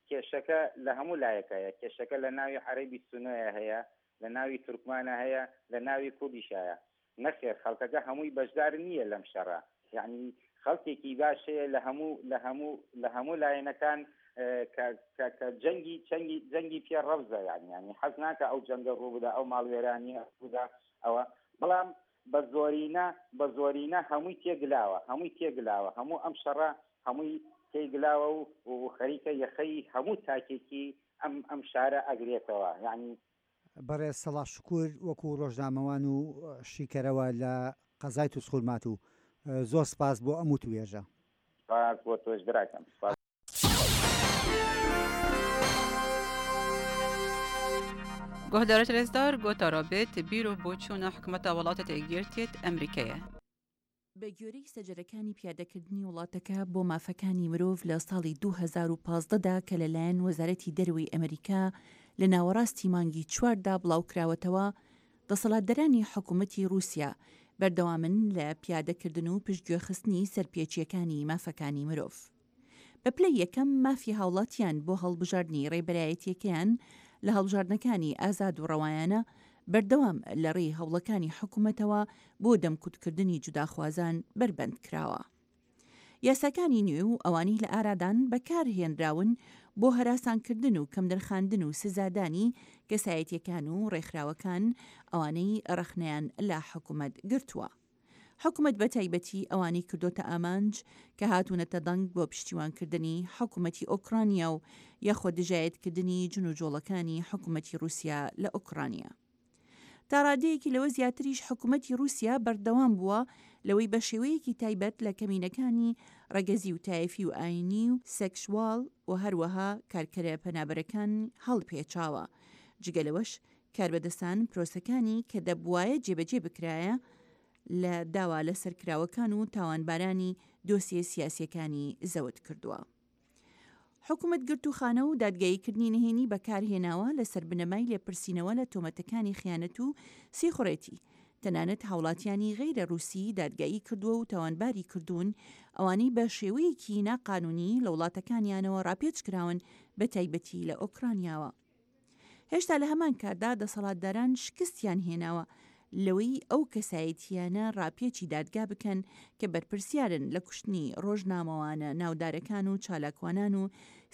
Speaker 16: کێشەکە لە هەموو لایەکەیە، کێشەکە لە ناوی عەرەبی سونەیە هەیە، لە ناوی تورکمانە هەیە، لە ناوی کوردیشایە. نەخێر خەڵکەکە هەمووی بەشدار نییە لەم شەڕە، یعنی خەڵکێکی باش هەیە لە هەموو لە هەموو لە هەموو لایەنەکان کە جەنگی جەنگی جەنگی پێ ڕەفزە، یعنی یعنی حەز ناکە ئەو جەنگە ڕوو بدا، ئەو ماڵوێرانیە ڕوودا ئەوە، بەڵام بە زۆرینە بە زۆرینە هەمووی تێگلاوە، هەمووی تێگلاوە، هەموو ئەم شەڕە هەمووی تێگلاوە و خەریکە یەخەی هەموو تاکێکی ئەم ئەم شارە ئەگرێتەوە. یعنی
Speaker 15: بەڕێز سەڵاح شکور وەکو ڕۆژنامەوان و شیکەرەوە لە قەزای تووسخورماتوو، زۆر سپاس بۆ ئەم وتوێژە.
Speaker 16: سپاس بۆ تۆش براکەم. سپاس.
Speaker 17: گۆهدارت رێزدار گۆتارا بێت بیر و بۆچوونە حکوومەتە وڵاتە یەکگرتیت ئەمریکایە.
Speaker 2: بە گوێرەی سەجەرەکانی پیادەکردنی وڵاتەکە بۆ مافەکانی مرۆڤ لە ساڵی دوو هەزار و پازدە دا کە لەلایەن وەزارەتی دەرەوەی ئەمریکا لە ناوەڕاستی مانگی چواردا بڵاوکراوەتەوە، دەسەڵاتدارانی حکوومەتی رووسیا بەردەوامن لە پیادەکردن و پشتگوێخستنی سەرپێچیەکانی مافەکانی مرۆڤ. بە پلەی یەکەم مافی هاوڵاتیان بۆ هەڵبژاردنی ڕێبەرایەتیەکەیان لە هەڵبژاردنەکانی ئازاد و ڕەوایانە بەردەوام لە ڕێی هەوڵەکانی حکوومەتەوە بۆ دەمکوتکردنی جوداخوازان بەربەند کراوە. یاساکانی نوێ و ئەوانەی لە ئارادان بەکارهێنراون بۆ هەراسانکردن و کەمنرخاندن و سزادانی کەسایەتیەکان و ڕێکخراوەکان ئەوانەی ڕەخنەیان لە حکوومەت گرتووە. حکوومەت بە تایبەتی ئەوانەی کردۆتە ئامانج کە هاتوونەتە دەنگ بۆ پشتیوانکردنی حکوومەتی ئۆکرانیا و یاخۆ دژایەتکردنی جنوجۆڵەکانی حکوومەتی رووسیا لە ئۆکرانیا. تا ڕادەیەکی لەوە زیاتریش حکوومەتی رووسیا بەردەوام بووە لەوەی بە شێوەیەکی تایبەت لە کەمینەکانی ڕەگەزی و تایفی و ئاینی و سێکسوال و هەروەها کارکەرە پەنابەرەکان هەڵپێچاوە. جگە لەوەش کاربەدەستان پرۆسەکانی کە دەبوایە جێبەجێ بکرایە لە داوا لەسەرکراوەکان و تاوانبارانی دۆسیە سیاسیەکانی زەوت کردووە. حکوومەت گرتوخانە و دادگاییکردنی نهێنی بەکارهێناوە لەسەر بنەمای لێپرسینەوە لە تۆمەتەکانی خیانەت و سیخوڕێتی. تەنانەت هاوڵاتیانی غەیرە رووسی دادگایی کردووە و تاوانباری کردوون ئەوانەی بە شێوەیەکی ناقانونی لە وڵاتەکانیانەوە ڕاپێچ کراون بە تایبەتی لە ئۆکرانیاوە. هێشتا لە هەمان کاتدا دەسەڵاتداران شکستیان هێناوە لەوەی ئەو کەسایەتیانە ڕاپێچی دادگا بکەن کە بەرپرسیارن لە کوشتنی ڕۆژنامەوانە ناودارەکان و چالاکوانان و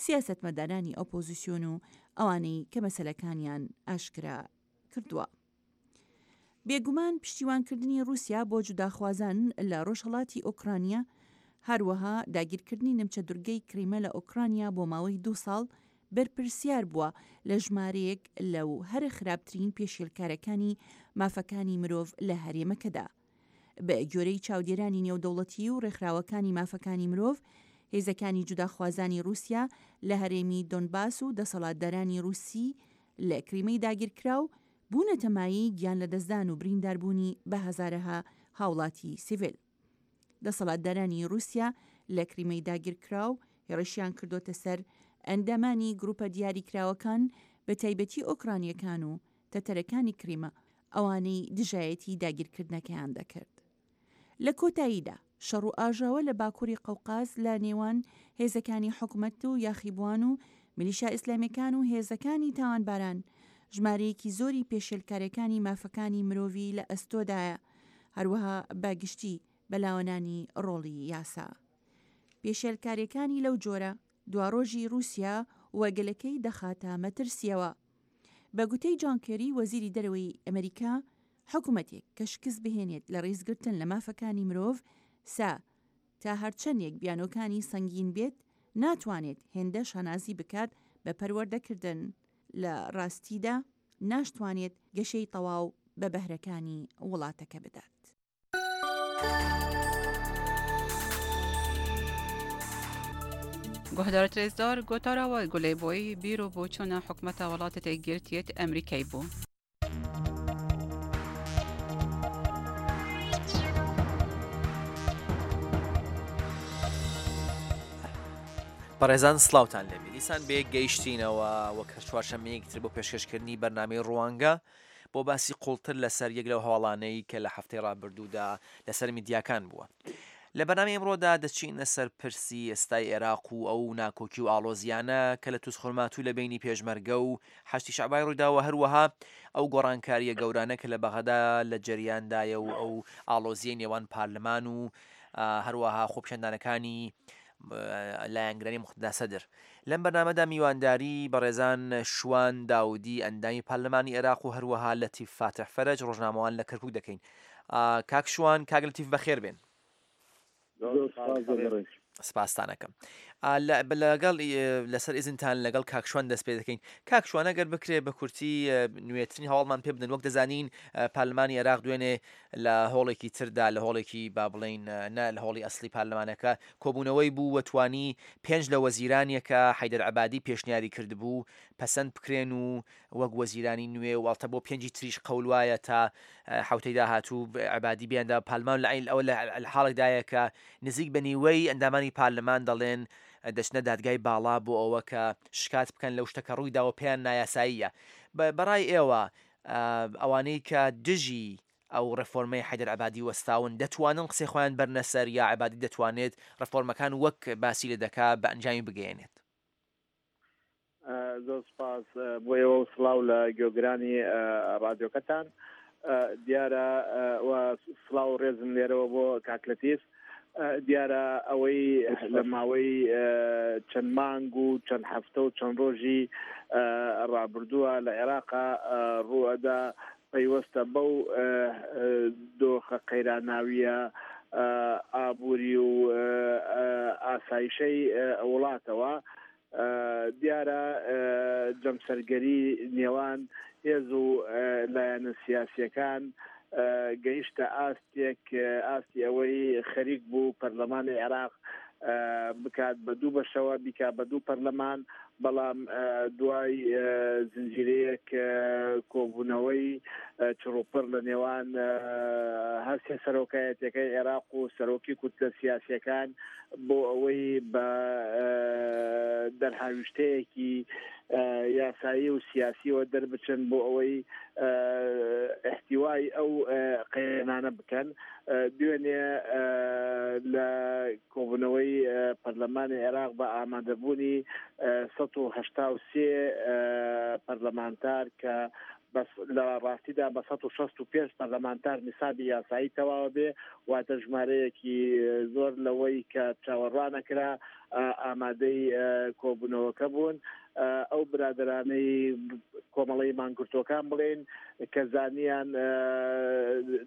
Speaker 2: سیاسەتمەدارانی ئۆپۆزیسیۆن و ئەوانەی کە مەسەلەکانیان ئاشکرا کردووە. بێگومان پشتیوانکردنی رووسیا بۆ جوداخوازان لە ڕۆژهەڵاتی ئۆکرانیا، هەروەها داگیرکردنی نمچە دورگەی کریمە لە ئۆکرانیا بۆ ماوەی دوو ساڵ بەرپرسیار بووە لە ژمارەیەک لەو هەرە خراپترین پێشێلکارەکانی مافەکانی مرۆڤ لە هەرێمەکەدا. بە گوێرەی چاودێرانی نێودەوڵەتی و ڕێکخراوەکانی مافەکانی مرۆڤ، هێزەکانی جوداخوازانی رووسیا لە هەرێمی دۆنباس و دەسەڵاتدارانی رووسی لە کریمەی داگیرکراو بوونەتە مایەی گیان لەدەستدان و برینداربوونی بە هەزارەها هاوڵاتی سیڤیل. دەسەڵاتدارانی رووسیا لە کریمەی داگیرکراو هێڕشیان کردۆتە سەر ئەندامانی گروپە دیاریکراوەکان بە تایبەتی ئۆکرانیەکان و تەتەرەکانی کریمە ئەوانەی دژایەتی داگیرکردنەکەیان دەکرد. لە کۆتاییدا شەڕ و ئاژاوە لە باکووری قەوقاز لە نێوان هێزەکانی حکومەت و یاخیبووان و میلیشیا ئیسلامیەکان و هێزەکانی تاوانباران ژمارەیەکی زۆری پێشێلکاریەکانی مافەکانی مرۆڤی لە ئەستۆدایە، هەروەها بە گشتی بەلاوەنانی ڕۆڵی یاسا. پێشێلکاریەکانی لەو جۆرە دواڕۆژی رووسیا و گەلەکەی دەخاتە مەترسیەوە. بە گوتەی جۆن کێری وەزیری دەرەوەی ئەمریکا، حکومەتێک کە شکست بهێنێت لە ڕێزگرتن لە مافەکانی مرۆڤ سا تا هەرچەندێک بیانۆکانی سەنگین بێت، ناتوانێت هێندە شانازی بکات بە پەروەردەکردن. لە ڕاستیدا ناشتوانێت گەشەی تەواو بە بەهرەکانی وڵاتەکە بدات.
Speaker 17: گۆهدارت رێزدار گۆتارا وە گولەی بۆی بیر و بۆچوونە حکومەتە وڵاتە یەکگرتیەت ئەمریکای بوو.
Speaker 18: بەڕێزان سلااوان لێبێ، دیسان بێ گەیشتینەوە وەک هەر چوارشەممەیەکی تر بۆ پێشکەشکردنی بەرنامەی ڕوانگە بۆ باسی قوڵتر لەسەر یەک لەو هەواڵانەی کە لە هەفتەی ڕابردوودا لەسەر میدیاکان بووە. لە بەرنامەی ئەمڕۆدا دەچینە سەر پرسی ئێستای عێراق و ئەو ناکۆکی و ئاڵۆزیانە کە لە تووزخورماتوو لە بینی پێشمەرگە و حەشدی شەعبای ڕوویداوە، هەروەها ئەو گۆڕانکاریە گەورانە کە لە بەغەدا لە جەریاندایە و ئەو ئاڵۆزیەی نێوان پارلمان و هەروەها خۆپیشاندانەکانی لایەنگرانی موقتەدا سەدر. لەم بەرنامەدا میوانداری بەڕێزان شوان داودی ئەندامی پارلمانی عێراق و هەروەها لەتیف فاتح فەرەج ڕۆژنامەوان لە کەرکوک دەکەین. کاک شوان، کاک لەتیف بەخێر بێن. سپاستانەکەم. لەگەڵ لەسەر ئیزنتان لەگەڵ کاک شوان دەست پێ دەکەین. کاک شوان، ئەگەر بکرێ بە کورتی نوێترین هەواڵمان پێ بدەن. وەک دەزانین پارلمانی عێراق دوێنێ لە هۆڵێکی تردا، لە هۆڵێکی با بڵین نە لە هۆڵی ئەسلی پارلمانەکە کۆبوونەوەی بوو و توانی پێنج لە وەزیرانیەکە حەیدەر عەبادی پێشنیاری کردبوو پەسەند بکرێن و وەک وەزیرانی نوێ و ئەڵتە بۆ پێنجی تریش قەول وایە تا حوتەی داهاتوو عەبادی بیاندا پارلمان. لە عین ئەوە لە حاڵێکدایە کە نزیک بە نیوەی ئەندامانی پارلمان دەڵێن دەچنە دادگای باڵا بۆ ئەوە کە شکات بکەن لەو شتە کە ڕووی داوە پێیان نایاساییە. بەڕای ئێوە ئەوانەی کە دژی ئەو ڕێفۆرمەی حەیدەر عەبادی وەستاون دەتوانن قسەی خۆیان بەرنە سەر یا عەبادی دەتوانێت ڕێفۆرمەکان وەک باسی لێ دەکا بە ئەنجامی بگەیەنێت؟
Speaker 19: زۆر سپاس بۆ ئێوە و سڵاو لە گوێگرانی ڕادیۆکەتان. دیارە و سڵاو و ڕێزم لێرەوە بۆ کاک لەتیف. دیارە ئەوەی لە ماوەی چەند مانگ و چەند هەفتە و چەند ڕۆژی ڕابردووە لە عێراقا ڕوئەدا پەیوەستە بەو دۆخە قەیراناویە ئابووری و ئاسایشەی وڵاتەوە. دیارە جەمسەرگەری نێوان هێز و لایەنە سیاسیەکان گەیشتە ئاستێک، ئاستی ئەوەی خەریک بوو پەرلەمانی عێراق بکات بە دوو بەشەوە، بیکات بە دوو پەرلەمان، بەڵام دوای زنجیرەیەک کۆبوونەوەی چڕوپڕ لە نێوان هەرسێ سەرۆکایەتەکەی عێراق و سەرۆکی کوتلە سیاسیەکان بۆ ئەوەی بە دەرهاویشتەیەکی یاسایی و سیاسیەوە دەربچن بۆ ئەوەی احتیوای ئەو قەیرانانە بکەن. دوێنێ لە کۆبوونەوەی پەرلەمانی عێراق بە ئامادەبوونی سەد و هەشتا و سێ پەرلەمانتار کە بەس لە ڕاستیدا بە سەد و شەست و پێنج پەرلەمانتار نسابی یاسایی تەواوە بێ، واتە ژمارەیەکی زۆر لەوەی کە چاوەڕوانەکرا ئامادەی کۆبوونەوەکە بوون. ئەو برادرانەی کۆمەڵەی مانگرتوەکان بڵێن کە زانیان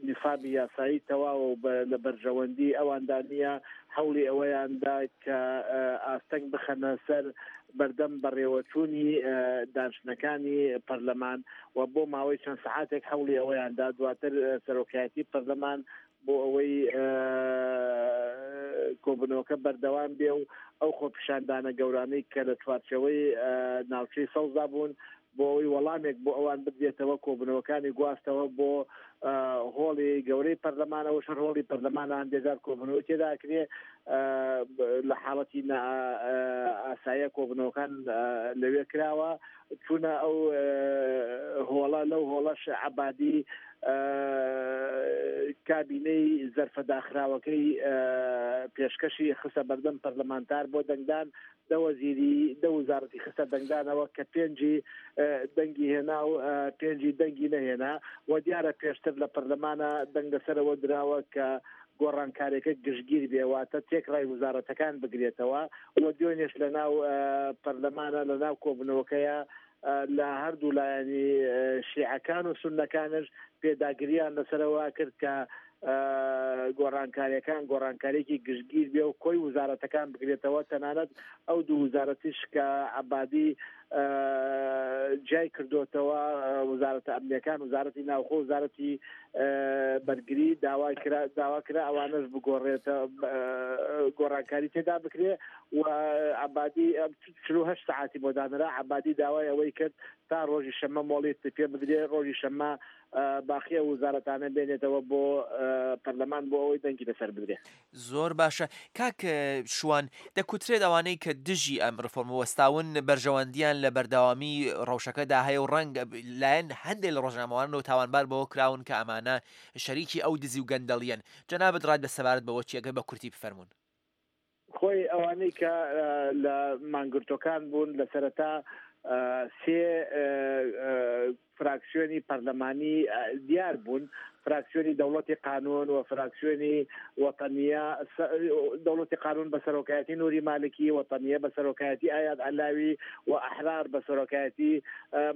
Speaker 19: نسابی یاسایی تەواوە و لە بەرژەوەندی ئەواندا نییە، هەوڵی ئەوەیاندا کە ئاستەنگ بخەنە سەر بەردەم بەڕێوەچوونی دانیشتنەکانی پەرلەمان و بۆ ماوەی چەند سەعاتێک هەوڵی ئەوەیاندا. دواتر سەرۆکایەتی پەرلەمان بۆ ئەوەی کۆبوونەوەکە بەردەوام بێ و ئەو خۆپیشاندانە گەورانەی کە لە چوارچێوەی ناوچەی سەوزدا بوون بۆ ئەوەی وەڵامێک بۆ ئەوان بدرێتەوە، کۆبوونەوەکانی گواستەوە بۆ هۆڵی گەورەی پەرلەمانەوە. شەر هۆڵی پەرلەمانە هەندێجار کۆبوونەوە تێداکرێ، لە حاڵەتی ئاساییە کۆبوونەوەکان لەوێ کراوە. چوونە ئەو هۆڵە، لەو هۆڵەش عەبادی کابینەی زەرفە داخراوەکەی پێشکەشی خستە بەردەم پەرلەمانتار بۆ دەنگدان. دە وەزیری دە وزارەتی خستە دەنگدانەوە کە پێنجی دەنگی هێنا و پێنجی دەنگی نەهێنا. و دیارە پێشتر لە پەرلەمانە دەنگ لەسەرەوە دراوە کە گۆڕانکارێکە گشتگیر بێ، واتە تێکڕای وزارەتەکان بگرێتەوە. و دوێنێش لە ناو پەرلەمانە لە ناو کۆبوونەوەکەیە لە هەردوو لایەنی شیعەکان و سوننەکانش پێداگریان لەسەرەوە کرد کە گۆڕانکاریەکان گۆڕانکاریەکی گشتگیر بێ و کۆی وزارەتەکان بگرێتەوە. تەنانەت ئەو دوو وزارەتیش کە عەبادی جای کردوتەوە، وزارەتە ئەمنیەکان، وزارەتی ناوخۆ، وزارەتی بەرگری، داوا کرا ئەوانەش بگۆڕێتە گۆڕانکاری تێدا بکرێ. و عەبادی چل و هەشت سەعاتی بۆ دانرا. عەبادی داوای ئەوەی کرد تا ڕۆژی شەممە مۆڵیت پێ بدرێ، ڕۆژی شەممە باقیە وزارەتانە بێنێتەوە بۆ پەرلەمان بۆ ئەوەی دەنگی لەسەر بدرێ.
Speaker 18: زۆر باشە کاک شوان، دەکوترێت ئەوانەی کە دژی ئەم ڕفۆرمە وەستاون بەرژەوەندیان لە بەردەوامی ڕەوشەکەدا هەیە و ڕەنگ لایەن هەندێک لە ڕۆژنامەوانەوە تاوانبار بەوە کراون کە ئەمانە شەریکی ئەو دزی و گەندەڵیەن. جەنابت ڕات بە سەبارەت بەوە چی ئەگەر بە کورتی بفەرمونون؟
Speaker 19: خۆی ئەوانەی کە لە مانگرتوەکان بوون لە سەرەتا سێ فراکسیۆنی پەرلەمانی دیار بوون، فراکسیۆنی دەوڵەتی قانون و فراکسیۆنی وەتەنیە، دەوڵەتی قانون بە سەرۆکایەتی نوری مالکی، وەتەنیە بە سەرۆکایەتی ئایاد عەلاوی و ئەحرار بە سەرۆکایەتی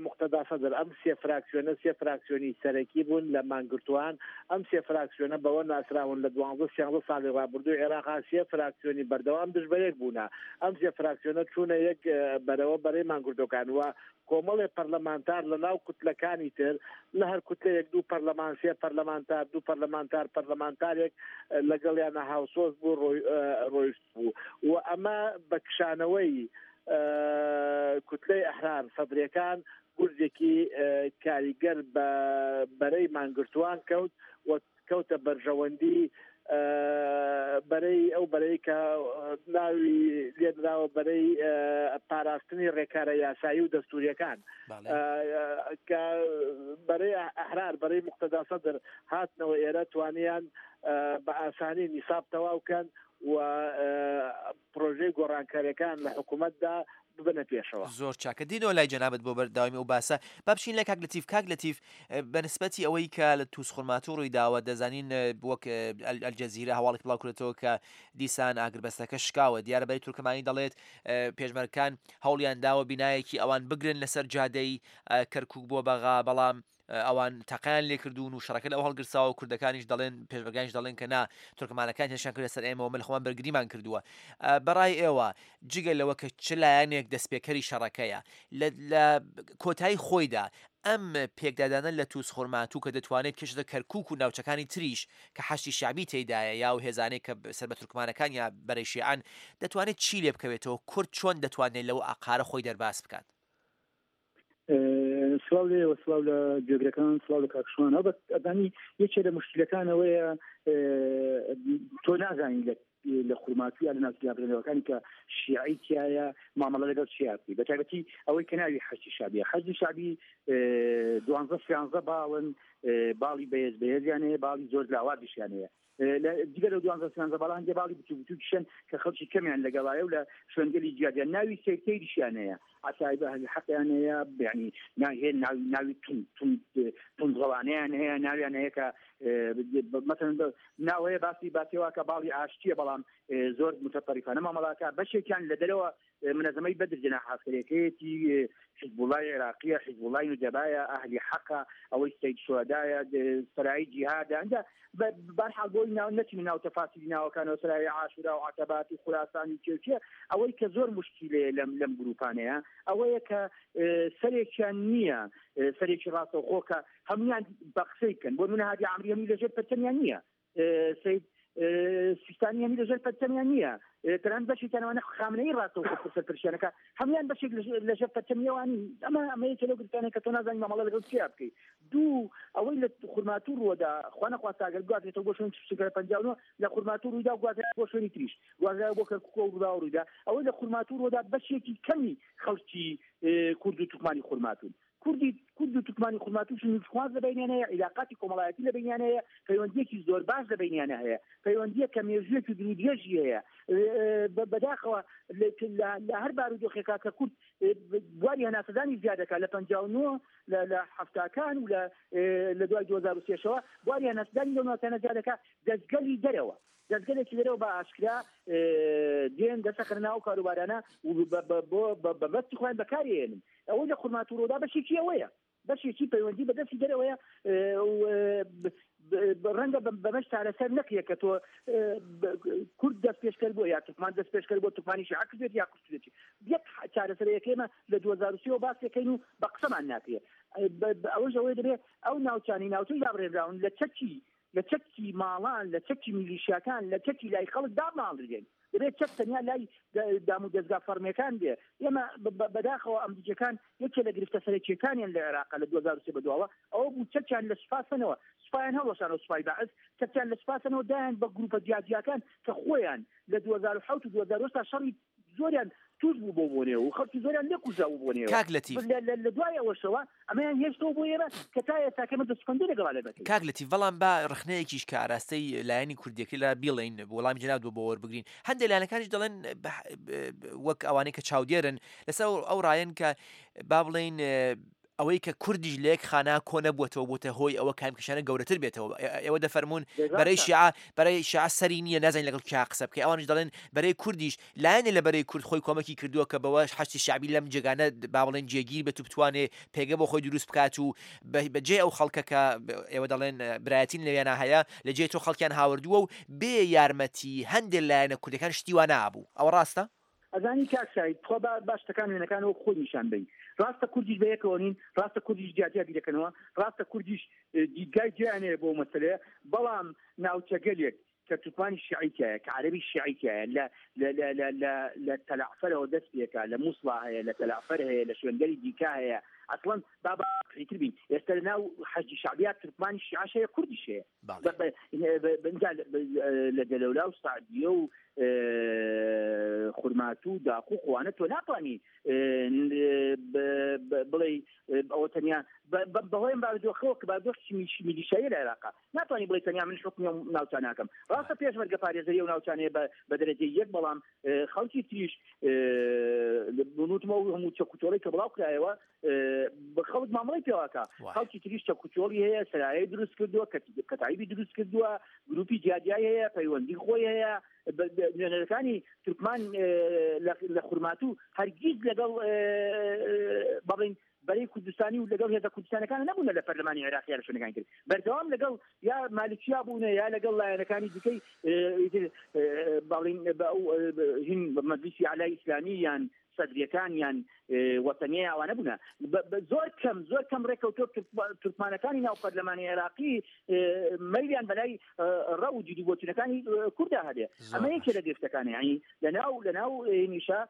Speaker 19: مقتەدا سەدر. ئەم سێ فراکسیۆنە سێ فراکسیۆنی سەرەکی بوون لە مانگرتوان. ئەم سێ فراکسیۆنە بەوە ناسراون لە دوانزە سیانزە ساڵی ڕابردوو عێراقا سێ فراکسیۆنی بەردەوام دژ بە یەک بوونە. ئەم سێ فراکسیۆنە چوونە یەک بەرەوە بەرەی مانگرتوەکان و کۆمەڵێ پەرلەمانتار لە ناو کوتلەکانی تر لە هەر کوتلەیەک دوو پەرلەمان، سێ پەرلەمانتار، دوو پەرلەمانتار، پەرلەمانتارێک لەگەڵیانە هاوسۆز بوو ڕۆیشت بوو. و ئەمە بە کشانەوەی کوتلەی ئەحرار سەدرەکان گورزێکی کاریگەر بە بەرەی مانگرتوان کەوت و کەوتە بەرژەوەندی بەرەی ئەو بەرەی کە ناوی لێنراوە بەرەی پاراستنی ڕێکارە یاسایی و دەستوریەکان، کە بەرەی ئەحرار بەرەی مقتەدا سەدر هاتنەوە ئێرە توانیان بە ئاسانی نیساب تەواو کەن و پرۆژەی گۆڕانکاریەکان لە حکوومەتدا ببنە پێشەوە.
Speaker 18: زۆر چاکە. دینەوە لای جەنابەت بۆ بەرداوامی ئەو باسە با بچین لە کاک لەتیف. کاک لەتیف، بەنسبەتی ئەوەی کە لە تووسخورماتوو ڕووی داوە، دەزانین وەک ئەلجەزیرە هەواڵێک بڵاو کردێتەوە کە دیسان ئاگربەستەکە شکاوە. دیارە بەری تورکمانی دەڵێت پێشمەرگەکان هەوڵیان داوە بینایەکی ئەوان بگرن لەسەر جادەی کەرکوک بۆ بەغا، بەڵام ئەوان تەقیان لێکردوون و شەڕەکە لەو هەڵگرساوە. کوردەکانیش دەڵێن، پێشمەرگانیش دەڵێن کە نا، تورکمانەکان هێرشیان کردە سەر ئێمەوە، من خۆمان بەرگریمان کردووە. بەڕای ئێوە جگە لەوە کە چ لایەنێک دەستپێکەری شەڕەکەیە لە کۆتایی خۆیدا ئەم پێکدادانە لە تووس خورماتوو کە دەتوانێت کێشتە کەرکوک و ناوچەکانی تریش کە حەشدی شەعبی تێدایە یا و هێزانێک کە سەر بە تورکمانەکان یا بەرەی شیعان، دەتوانێت چی لێ بکەوێتەوە؟ کورد چۆن دەتوانێت لەو ئاقارە خۆی دەرباز بکات؟
Speaker 20: سڵاو لێوە، سڵاو لە گوێگرەکان، سڵاو لە کاکشوان. ئەڵبەت ئەزانی یەکێ لە مشکلەکانەوەیە تۆ نازانی لە لە خورماتوو یا لە ناوچە کە شیعی تایە مامەڵە لەگەڵ شیعە بکەی، بە تایبەتی ئەوەی کە ناوی حەشدی شەعبیە. حەشدی شەعبی دوانزە سیانزە باڵن، باڵی بەهێز بەهێزیان هەیە، باڵی زۆر لاوازیشیان هەیە. جگە لەو دوانزە سیانزە باڵە هەندێک باڵی بچوو بچووکیشن کە خەڵکی کەمیان لەگەڵایە و لە شوێنگەلی جیاجیا ناوی سەیرتەیریشیان هەیە، عەسایب ئەهلی حەقیان هەیە، یعنی ناوی توندڕەوانەیان هەیە، ناویان هەیە کە مثلا ناو هەیە باسی باسیەوە کە باڵی ئاشتیە، بەڵام زۆر متەطەریفانە مامەڵاکە. بەشێکیان لە دەرەوە منەزەمەی بەدر جەناح عەسکەریەکەیەتی، حیزبوڵای عێراقیە، حیزبوڵای نوجەبایە، ئەهلی حەقە، ئەوەی سەید شوهەدایە، سەرایی جیهادە. ئەنجا بەرحاڵ بۆی ناو نەچینە ناو تەفاسیلی ناوەکانەوە، سەرایی عاشورا و عەتەبات و خوراسان و کێوچێ. ئەوەی کە زۆر مشکیلەیە لەم لەم گروپانەیە ئەوەیە کە سەرێکیان نییە، سەرێکی ڕاستەوخۆ کە هەمویان بە قسەی بکەن. بۆ نمونە هادی عامری هەمووی لەژێر پەرچەمیان نییە، سەید سیستانی هەمی لەژێر پەرچەمیان نییە، تەنانەت بەشێکیان ئەوانە خامنەیی ڕاستەوخۆ سەرپەرشتیانەکە هەمویان بەشێک لەژێر پەرچەمیەوانی. ئەمە ئەمە یەکێ لەو گرفتانەیە کە تۆ نازانی مامەڵە لەگەڵ چیا بکەی. دوو، ئەوەی لە خورماتوو ڕووەدا خوا نەخواستە ئەگەر بگوازرێتەوە بۆ شوێنی چل و پەنجا و نۆ لە خورماتوو ڕوویدا و گوازرێت بۆ شوێنی تریش، گوازرایەوە بۆ کەرکوک و ڕووداوە ڕوویدا. ئەوەی لە خورماتوو ڕووەدا بەشێکی کەمی خەڵکی کورد و تورکمانی خورماتوون. کوردی کورد و تورکمانی خورماتوو نووسخواز لە بەینیان هەیە، عیلاقاتی کۆمەڵایەتی لە بەینیان هەیە، پەیوەندیەکی زۆر باش لە بەینیان هەیە، پەیوەندیە کە مێژوویەکی دوور و درێژی هەیە. بەداخەوە لە هەر بارودۆخێکا کە کورد بواری هەناسەدانی زیادەکە لە پەنجا و نۆ لە حەفتاکان و لە دوای دوو هەزار و سێشەوە بواری هەناسەدانی لەو ناوچانە زیادەکە، دەستگەلی دەرەوە دەستگەلێکی دەرەوە بە ئاشکرا دێن دەسەخەنە ناو کاروبارانە و بە بەستی خۆیان بەکارێنن. ئەوەی لە خورماتوو ڕوودا بەشێکی ئەوەیە، بەشێکی پەیوەندی بەدەستی دەرەوەیە، ڕەنگە بەمەش چارەسەر نەکرێت کە تۆ کورد دەست پێشکەر بووە یا تورکمان دەست پێشکەر بووە، تورکمانی شیعە کردێت یا کورد. یەک چارەسەرەیەک ئێمە لە دوو هەزار و سێ باسیەکەین و بە قسەمان ناکرێت. ئەوەش ئەوەی دەبێت ئەو ناوچانی ناوچەی دابڕێنراون لە چەکی لە چەکی ماڵان، لە چەکی میلیشیاکان، لە چەکی لای خەڵک داماڵرێن. دەبێت چەک تەنیا لای دام و دەستگا فەرمیەکان بێ. ئێمە بەداخەوە ئەمریکیەکان یەکێ لە گرفتە سەرەکیەکانیان لە عێراق لە دوو هەزار و سێ بەدواوە ئەوە بوو چەکیان لە سوپاسەنەوە، سوپایان هەڵوەشانەوە، سوپای بەعس چەکیان لە سوپاسەنەوە دایان بە گروپە جیاجیاکان کە خۆیان لە دوو هەزار و حەوت و دوو هەزار و هەشت شەڕی زۆریان توش بوو بۆ بۆنێ و خەڵکی زۆریان لێ کوژرا بوو بۆنێ.
Speaker 18: کاک لەتیف
Speaker 20: لە دوای ئەوەشەوە ئەمەیان هێشتەوە بۆ ئێمە کە تا ئێستا کە ئێمە دەستپەندی لەگەڵا لێ بەکەین.
Speaker 18: کاک لەتیف بەڵام با ڕخنەیەکیش کە ئاراستەی لایەنی کوردیەکەی لە بیڵێین وەڵامی جەناب بۆ وەربگرین. هەندێک لایەنەکانیش دەڵێن وەک ئەوانەی کە چاودێرن لەسەر ئەو ڕایەن کە با بڵێین ئەوەی کە کوردیش لە یەک خانە کۆ نەبووەتەوە بۆتە هۆی ئەوە کامکێشانە گەورەتر بێتەوە. ئێوە دەفەرموون بەرەی شیعە بەرەی شیعە سەری نییە، نازانین لەگەڵ کیا قسە بکەی. ئەوانیش دەڵێن بەرەی کوردیش لایەنێ لە بەرەی کورد خۆی کۆمەکی کردووە کە بەوەش حەشدی شەعبی لەم جێگانە با بڵێن جێگیر بێت و بتوانێ پێگە بۆ خۆی دروست بکات و بەجێ ئەو خەڵکە کە ئێوە دەڵێن برایەتین لەوێنا هەیە لە جێ تۆ خەڵکیان هاوردووە و بێ یارمەتی هەندێک لایەنە کوردەکان شتی وا نابوو. ئەوە ڕاستە؟
Speaker 20: ئەزانی کاک سعید خۆ با شتەکان وێنەکان وەک خۆی نیشان بەین. ڕاستە کوردیش بە یەکەوە نین، ڕاستە کوردیش جیاجیا بیرەکەنەوە، ڕاستە کوردیش دیدگای جیایان هەیە بۆ مەسەلەیە، بەڵام ناوچەگەلێک کە تورکمانی شیعی تیایە، کە عەرەبی شیعی تیایە، لە لە تەلەعفەرەوە دەست پێکا، لە مووسڵا هەیە، لە تەلەعفەر هەیە، لە شوێنگەلی دیکە هەیە. ئەسڵەن با باقیتر بین، ئێستا لە ناو حەشدی شەعبیا تورکمانی شیعەش هەیە، کوردیش هەیە. لە دەلەولا و سعدیە و خورماتوو و داقوق وانە تۆ ناتوانی بڵێ ئەوە تەنیا بەهۆی بارودۆخەوە کە بارودۆخی میلیشیایی لە عێراقا ناتوانی بڵێ تەنیا من حوکمی ئەو ناوچانە ناکەم. ڕاستە پێشمەرگە پارێزەری ئەو ناوچانەیە بە دەرەجەی یەک، بەڵام خەڵکی تریش نوتمەوە هەموو چەکوچۆڵی کە بڵاو کرایەوە خەڵک مامەڵەی پێواکە. خەڵکی تریش چەکوچۆڵی هەیە، سەرایەی دروست کردووە، کەتایبی دروست کردووە، گروپی جیاجیای هەیە، پەیوەندی خۆی هەیە. نوێنەرەکانی تورکمان لە خورماتوو هەرگیز لەگەڵ بەڵین بەرەی کوردستانی و لەگەڵ هێزە کوردستانەکان نەبوونە لە پەرلەمانی عێراقی لە شوێنەکانی تر، بەردەوام لەگەڵ یا مالکیا بوونە یا لەگەڵ لایەنەکانی دیکەی بەڵین هین مەجلیسی عەلای ئیسلامی یان سەدریەکان یان وەتەنیە ئەوانە بوونە. زۆر کەم زۆر کەم ڕێکەوتۆ تورکمانەکانی ناو پەرلەمانی عێراقی مەیلیان بەلای ڕەو و دیدی بۆچوونەکانی کووردا هەبێ. ئەمە یەکێ لە گرفتەکانە. یعنی لەناو لەناو نیشا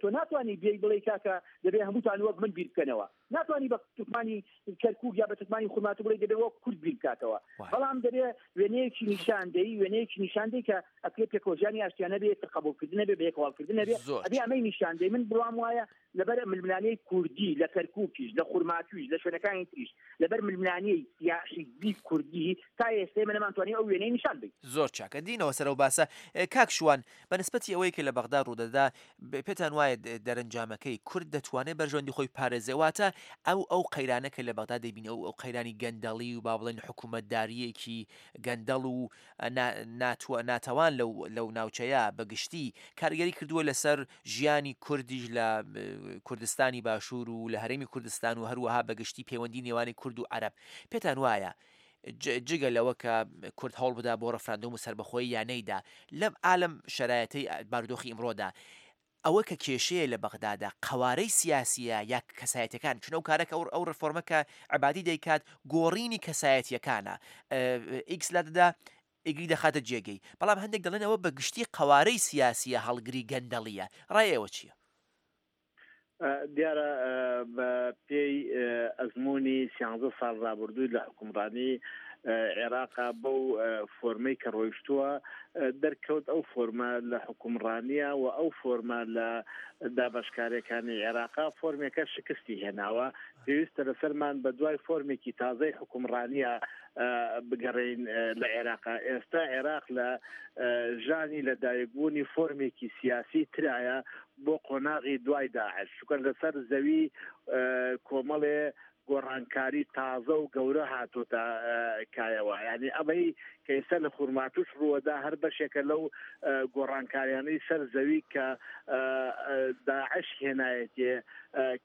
Speaker 20: تۆ ناتوانی بێی بڵێ کاکە دەبێ هەمووتان وەک من بیر بکەنەوە، ناتوانی بە تورکمانی کەرکووک یا بە تورکمانی خورماتوو بڵێ دەبێ وەک کورد بیر بکاتەوە، بەڵام دەبێ وێنەیەکی نیشاندەی وێنەیەکی نیشاندەی کە ئەکرێ پێکەوەژیانی ئاشتیانە بێ، قبوڵکردن نەبێ، بەیەکەواڵکردن نەبێ. ئەبێ ئەمەی نیشاندەی. من بڕوام وایە لەبەر ململانێی کوردی لە کەرکووکیش، لە خورماتوویش، لە شوێنەکانی تریش، لەبەر ململانێی سیاحیزبی کوردی تا ئێستا ئێمە نەمانتوانی ئەو وێنەی نیشان بین.
Speaker 18: زۆر چاکە دینەوە سەرەوە باسە. کاک شوان، بە نسبەتی ئەوەی کە لە بەغدا ڕوودەدا، پێتان وایە دەرەنجامەکەی کورد دەتوانێت بەرژەوەندی خۆی پارێزێ؟ واتە ئەو ئەو قەیرانە کە لە بەغدا دەیبینی، ئەو ئەو قەیرانی گەندەڵی و با بڵێن حکوومەتداریەکی گەندەڵ و ناتەوان لەو لەو ناوچەیە بەگشتی کاریگەری کردووە لەسەر ژیانی کوردیش لە کوردستانی باشوور و لە هەرێمی کوردستان و هەروەها بەگشتی پەیوەندی نێوانی کورد و عەرەب. پێتان وایە جگە لەوە کە کورد هەوڵ بدا بۆ ڕەفراندۆم و سەربەخۆیی یا نەیدا لەم عالم شەرایەتەی بارودۆخی ئیمڕۆدا، ئەوە کە کێشەیە لە بەغدادا قەوارەی سیاسیە یا کەسایەتەکان، چون ئەو کارە کە ئەو ڕێفۆرمە کە عەبادی دەیکات گۆڕینی کەسایەتیەکانە، ئیکس لا دەدا ئیگری دەخاتە جێگەی، بەڵام هەندێک دەڵێن ئەوە بە گشتی قەوارەی سیاسیە هەڵگری گەندەڵیە. ڕای ئێوە چییە؟
Speaker 19: دیارە بە پێی ئەزمموی سیانزە ساڵ ڕابردووی لە حکومڕانی عێراقا بەو فۆرمەی کە ڕۆیشتووە دەرکەوت ئەو فۆرمە لە حکومڕانیە و ئەو فۆرمە لە دابەشکارەکانی عێراقا فۆرمێکە شکستی هێناوە. پێویستە لەسەرمان بە دوای فۆرمێکی تازەی حکومڕانیە بگەڕین لە عێراقا. ئێستا عێراق لە ژانی لە دایکبوونی فۆرمێکی سیاسی ترایە بۆ قۆناغی دوای داعش، چونکە لەسەر زەوی کۆمەڵێ گۆڕانکاری تازە و گەورە هاتۆتە کایەوە. یعنی ئەمەی کە ئێستا لە خورماتوش ڕووەدا هەر بەشێکە لەو گۆڕانکاریانەی سەر زەوی کە داعش هێنایەتێ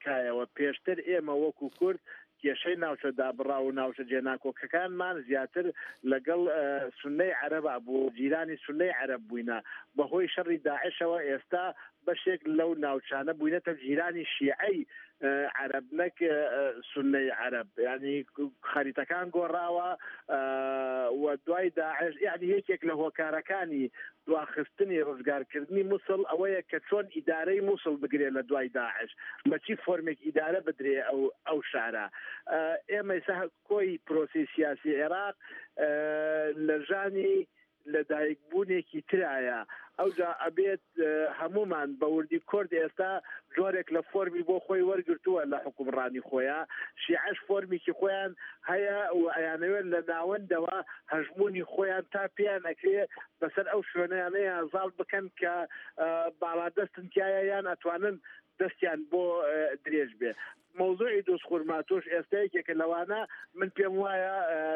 Speaker 19: کایەوە. پێشتر ئێمە وەکو کورد کێشەی ناوچە دابڕا و ناوچە جێناکۆکەکانمان زیاتر لەگەڵ سونەی عەرەبا بوو، جیرانی سونەی عەرەب بووینە. بەهۆی شەڕی داعشەوە ئێستا بەشێک لەو ناوچانە بووینەتە جیرانی شیعەی عەرەب نەک سونەی عەرەب. یعنی خەریتەکان گۆڕاوە و دوای داعش، یعنی یەکێک لە هۆکارەکانی دواخستنی ڕزگارکردنی موسڵ ئەوەیە کە چۆن ئیدارەی موسڵ بگرێت لە دوای داعش، بە چی فۆرمێک ئیدارە بدرێ ئەو ئەو شارە. ئێمە ئێستا کۆی پرۆسەی سیاسی عێراق لە ژانی لەدایکبوونێکی ترایە. ئەوجا ئەبێت هەمومان بە وردی کورد ئێستا جۆرێک لە فۆرمی بۆ خۆی وەرگرتووە لە حکومڕانی خۆیان، شیعەش فۆرمێکی خۆیان هەیە و ئەیانەوێت لە ناوەندەوە هەژمونی خۆیان تا پێیان ئەکرێ بەسەر ئەو شوێنیانەیان زاڵ بکەن کە باڵادەستن تایە یان ئەتوانن دەستیان بۆ درێژ بێ. مەوزوعی دووز خورماتوش ئێستا یەکێکە لەوانە. من پێم وایە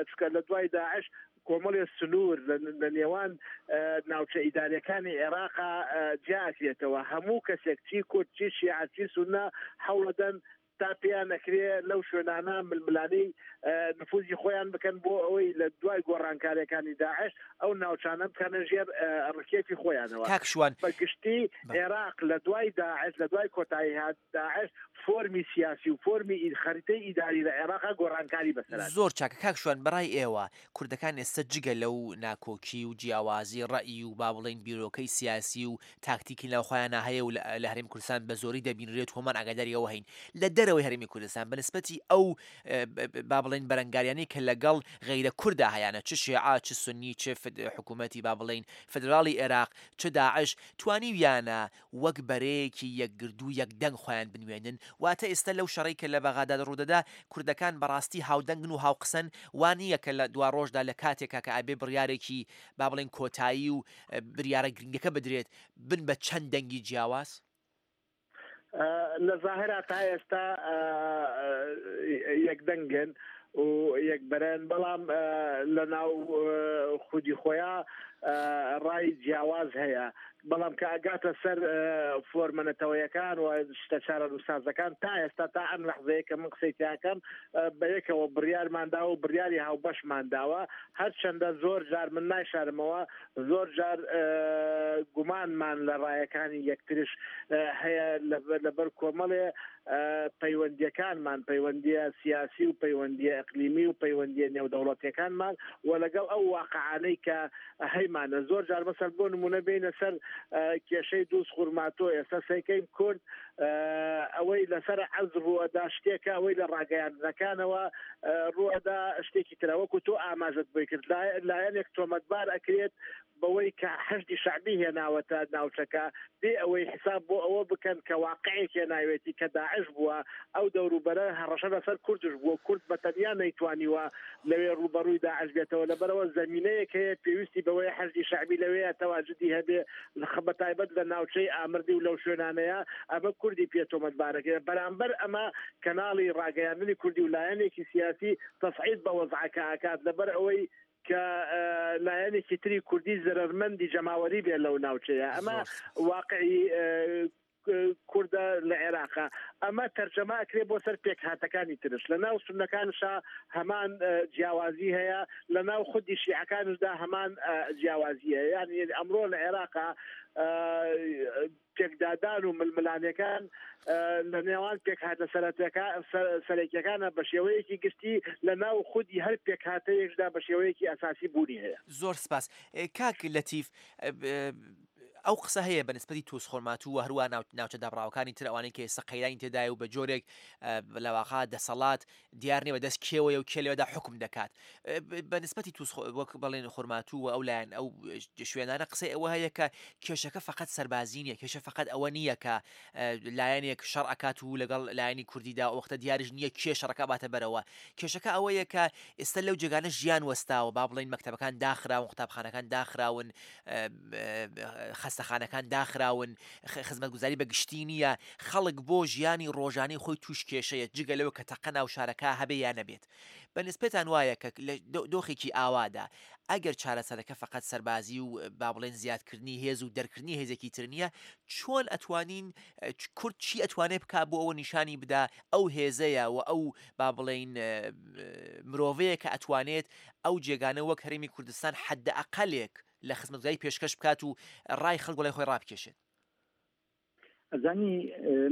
Speaker 19: چکە لە دوای داعش کۆمەڵێ سنوور لە نێوان ناوچە ئیدارەکانی عێراقا جیاکرێتەوە. هەموو کەسێک چی کورد چی شیعە چی سوننە هەوڵەدەن تا پێیان ئەکرێ لەو شوێنانە ململانەی نفوزی خۆیان بکەن بۆ ئەوەی لە دوای گۆڕانکاریەکانی داعش ئەو ناوچانە بکەنە ژێر ڕکێفی خۆیانەوە.
Speaker 18: کاک شوان،
Speaker 19: بە گشتی عێراق لە دوای داعش، لە دوای کۆتایی هات داعش، فۆرمی سیاسی و فۆرمی خەریتەی ئیداری لە عێراقا گۆڕانکاری بەسەرات.
Speaker 18: زۆر چاکە کاک شوان، بەڕای ئێوە کوردەکان ئێستا جگە لەو ناکۆکی و جیاوازی ڕەئی و با بڵێین بیرۆکەی سیاسی و تاکتیکی ناوخۆیانە هەیە و لە هەرێمی کوردستان بە زۆری دەبینرێت، هۆمان ئاگاداری ئەوە هەین لە دەرەوەی هەرێمی کوردستان بە نسبەتی ئەو با بڵێن بەرەنگاریانەی کە لەگەڵ غەیرە کووردا هەیانە، چ شیعە چ سنی چ حکوومەتی با بڵێین فدراڵی عێراق چ داعش، توانیویانە وەک بەرەیەکی یەکگردوو یەکدەنگ خۆیان بنوێنن؟ واتە ئێستا لەو شەڕەی کە لە بەغاداد ڕوودەدا کوردەکان بەڕاستی هاودەنگن و هاوقسەن، وانە کە لە دوا ڕۆژدا لە کاتێکا کە ئەبێ بڕیارێکی با بڵێن کۆتایی و بریارە گرنگەکە بدرێت بن بە چەند دەنگی جیاواز؟
Speaker 19: لە ظاهرا تا ئێستا یەکدەنگن و یەکبەرن، بەڵام لە ناو خودی خۆیان ڕای جیاواز هەیە. بەڵام کە ئەگاتە سەر فۆرمە نەتەوەیەکان و شتە چارەنووسازەکان تا ئێستا تا ئەم لەحزەیە کە من قسەی تیاکەم بە یەکەوە بڕیارمان داوە و بڕیاری هاوبەشمان داوە. هەرچەندە زۆر جار من نایشارمەوە، زۆر جار گومانمان لە ڕایەکانی یەکترش هەیە لەبەر کۆمەڵێ پەیوەندیەکانمان، پەیوەندیە سیاسی و پەیوەندیە ئەقلیمی و پەیوەندیە نێودەوڵەتیەکانمان و لەگەڵ ئەو واقعانەی کە هەیمانە. زۆر جار مەسەل بۆ نمونە بینە سەر کێشەی دووز خورماتۆ، ئێستا سەیکەین کورد ئەوەی لەسەر عەرز ڕووەدا شتێکە، ئەوەی لە ڕاگەیاندنەکانەوە ڕووەدا شتێکی ترە. وەکو تۆ ئاماژەت بۆی کرد، لایەنێک تۆمەتبار ئەکرێت بەوەی کە حەشدی شەعبی هێناوەتە ناوچەکە بێ ئەوەی حساب بۆ ئەوە بکەن کە واقعێک هێناوێتی کە داعش بووە، ئەو دەوروبەرە هەڕەشە لەسەر کوردش بووە، کورد بە تەنیا نەیتوانیوە لەوێ ڕووبەڕووی داعش بێتەوە. لەبەرەوە زەمینەیەک هەیە پێویستی بەوەی حەشدی شەعبی لەوێ تەواجدی هەبێ، بە تایبەت لە ناوچەی ئامردی و لەو شوێنانەیە ئەمە کوردی پێ تۆمەتبارەکەی. بەرامبەر ئەمە کەناڵی ڕاگەیاندنی کوردی و لایەنێکی سیاسی تەسعید بە وەزعەکە ئاکات، لەبەر ئەوەی کە لایەنێکی تری کوردی زەرەرمەندی جەماوەری بێ لەو ناوچەیە. ئەمە واقعی کوردە لە عێراقا. ئەمە تەرجەمە ئەکرێ بۆ سەر پێکهاتەکانی ترش. لە ناو سوننەکانشا هەمان جیاوازی هەیە، لە ناو خودی شیعەکانشدا هەمان جیاوازی هەیە. یعنی ئەمڕۆ لە عێراقا پێکدادان و ململانەکان لە نێوان پێکهاتە سەرەکیەکانە بە شێوەیەکی گشتی لە ناو خودی هەر پێکهاتەیەکدا بە شێوەیەکی ئەساسی بوونی هەیە.
Speaker 18: زۆر سپاس کاک لەتیف. ئەو قسە هەیە بە نسبەتی تووس خورماتوو و هەروە ناوچە دابڕاوەکانی تر ئەوانەی کە ئێستا قەیرانی تێدایە و بە جۆرێک لەواقع دەسەڵات دیار نییە بەدەست کێوەیە و کێ لەوێدا حکم دەکات. بە نسبەتی تووس وەک بڵێن خورماتوو و ئەو لایەن ئەو شوێنانە قسەی ئەوە هەیە کە کێشەکە فقط سەربازی نییە، کێشە فقط ئەوە نییە کە لایەنێک شەڕ ئەکات و لەگەڵ لایەنی کوردیدا وەختە دیارش نییە کێ شەڕەکە باتە بەرەوە. کێشەکە ئەوەیە کە ئێستا لەو جێگانە ژیان وەستاوە، با بڵێن مەکتەبەکان داخراون، قوتابخانەکان داخراون، خەستەخانەکان داخراون، خزمەتگوزاری بە گشتی نییە، خەڵک بۆ ژیانی ڕۆژانەی خۆی تووش کێشەیە، جگە لەوە کە تەقە ناو شارەکە هەبێ یا نەبێت. بە نسبەتان وایە کە لە دۆخێکی ئاوادا ئەگەر چارەسەرەکە فقط سەربازی و با بڵێن زیادکردنی هێز و دەرکردنی هێزێکی تر نییە، چۆن ئەتوانین کورد چی ئەتوانێت بکا بۆ ئەوە نیشانی بدا ئەو هێزەیە و ئەو با بڵێین مرۆڤەیە کە ئەتوانێت ئەو جێگانە وەک هەرێمی کوردستان حەدە ئەقەلێک لە خزمەتگوزاری پێشکەش بکات و ڕای خەڵک وڵای خۆی ڕابکێشێت؟
Speaker 20: ئەزانی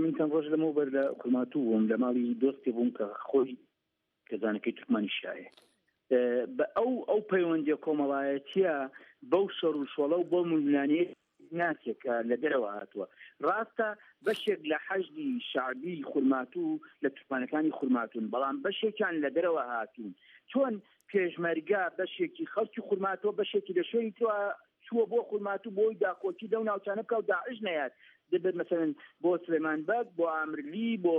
Speaker 20: من چەند ڕۆژ لەمەوبەر لە خورماتوو بووم، لە ماڵی دۆستێ بووم کە خۆی کەزانەکەی تورکمانی شایە. بە ئەو ئەو پەیوەندیە کۆمەڵایەتیە بەو شەڕ و شۆڵە و بۆ ململانێ ناسێک کە لە دەرەوە هاتووە. ڕاستە بەشێک لە حەشدی شەعبی خورماتوو لە تورکمانەکانی خورماتوون، بەڵام بەشێکیان لە دەرەوە هاتوون. چۆن پێشمەرگە بەشێکی خەڵکی خورماتووە، بەشێکی لە شوێنی ترەوە چووە بۆ خورماتوو بۆی داکۆکی لەو ناوچانە بکا و داعش نەیات. دەبێت مەسەلەن بۆ سلێمان بەگ، بۆ ئامرلی، بۆ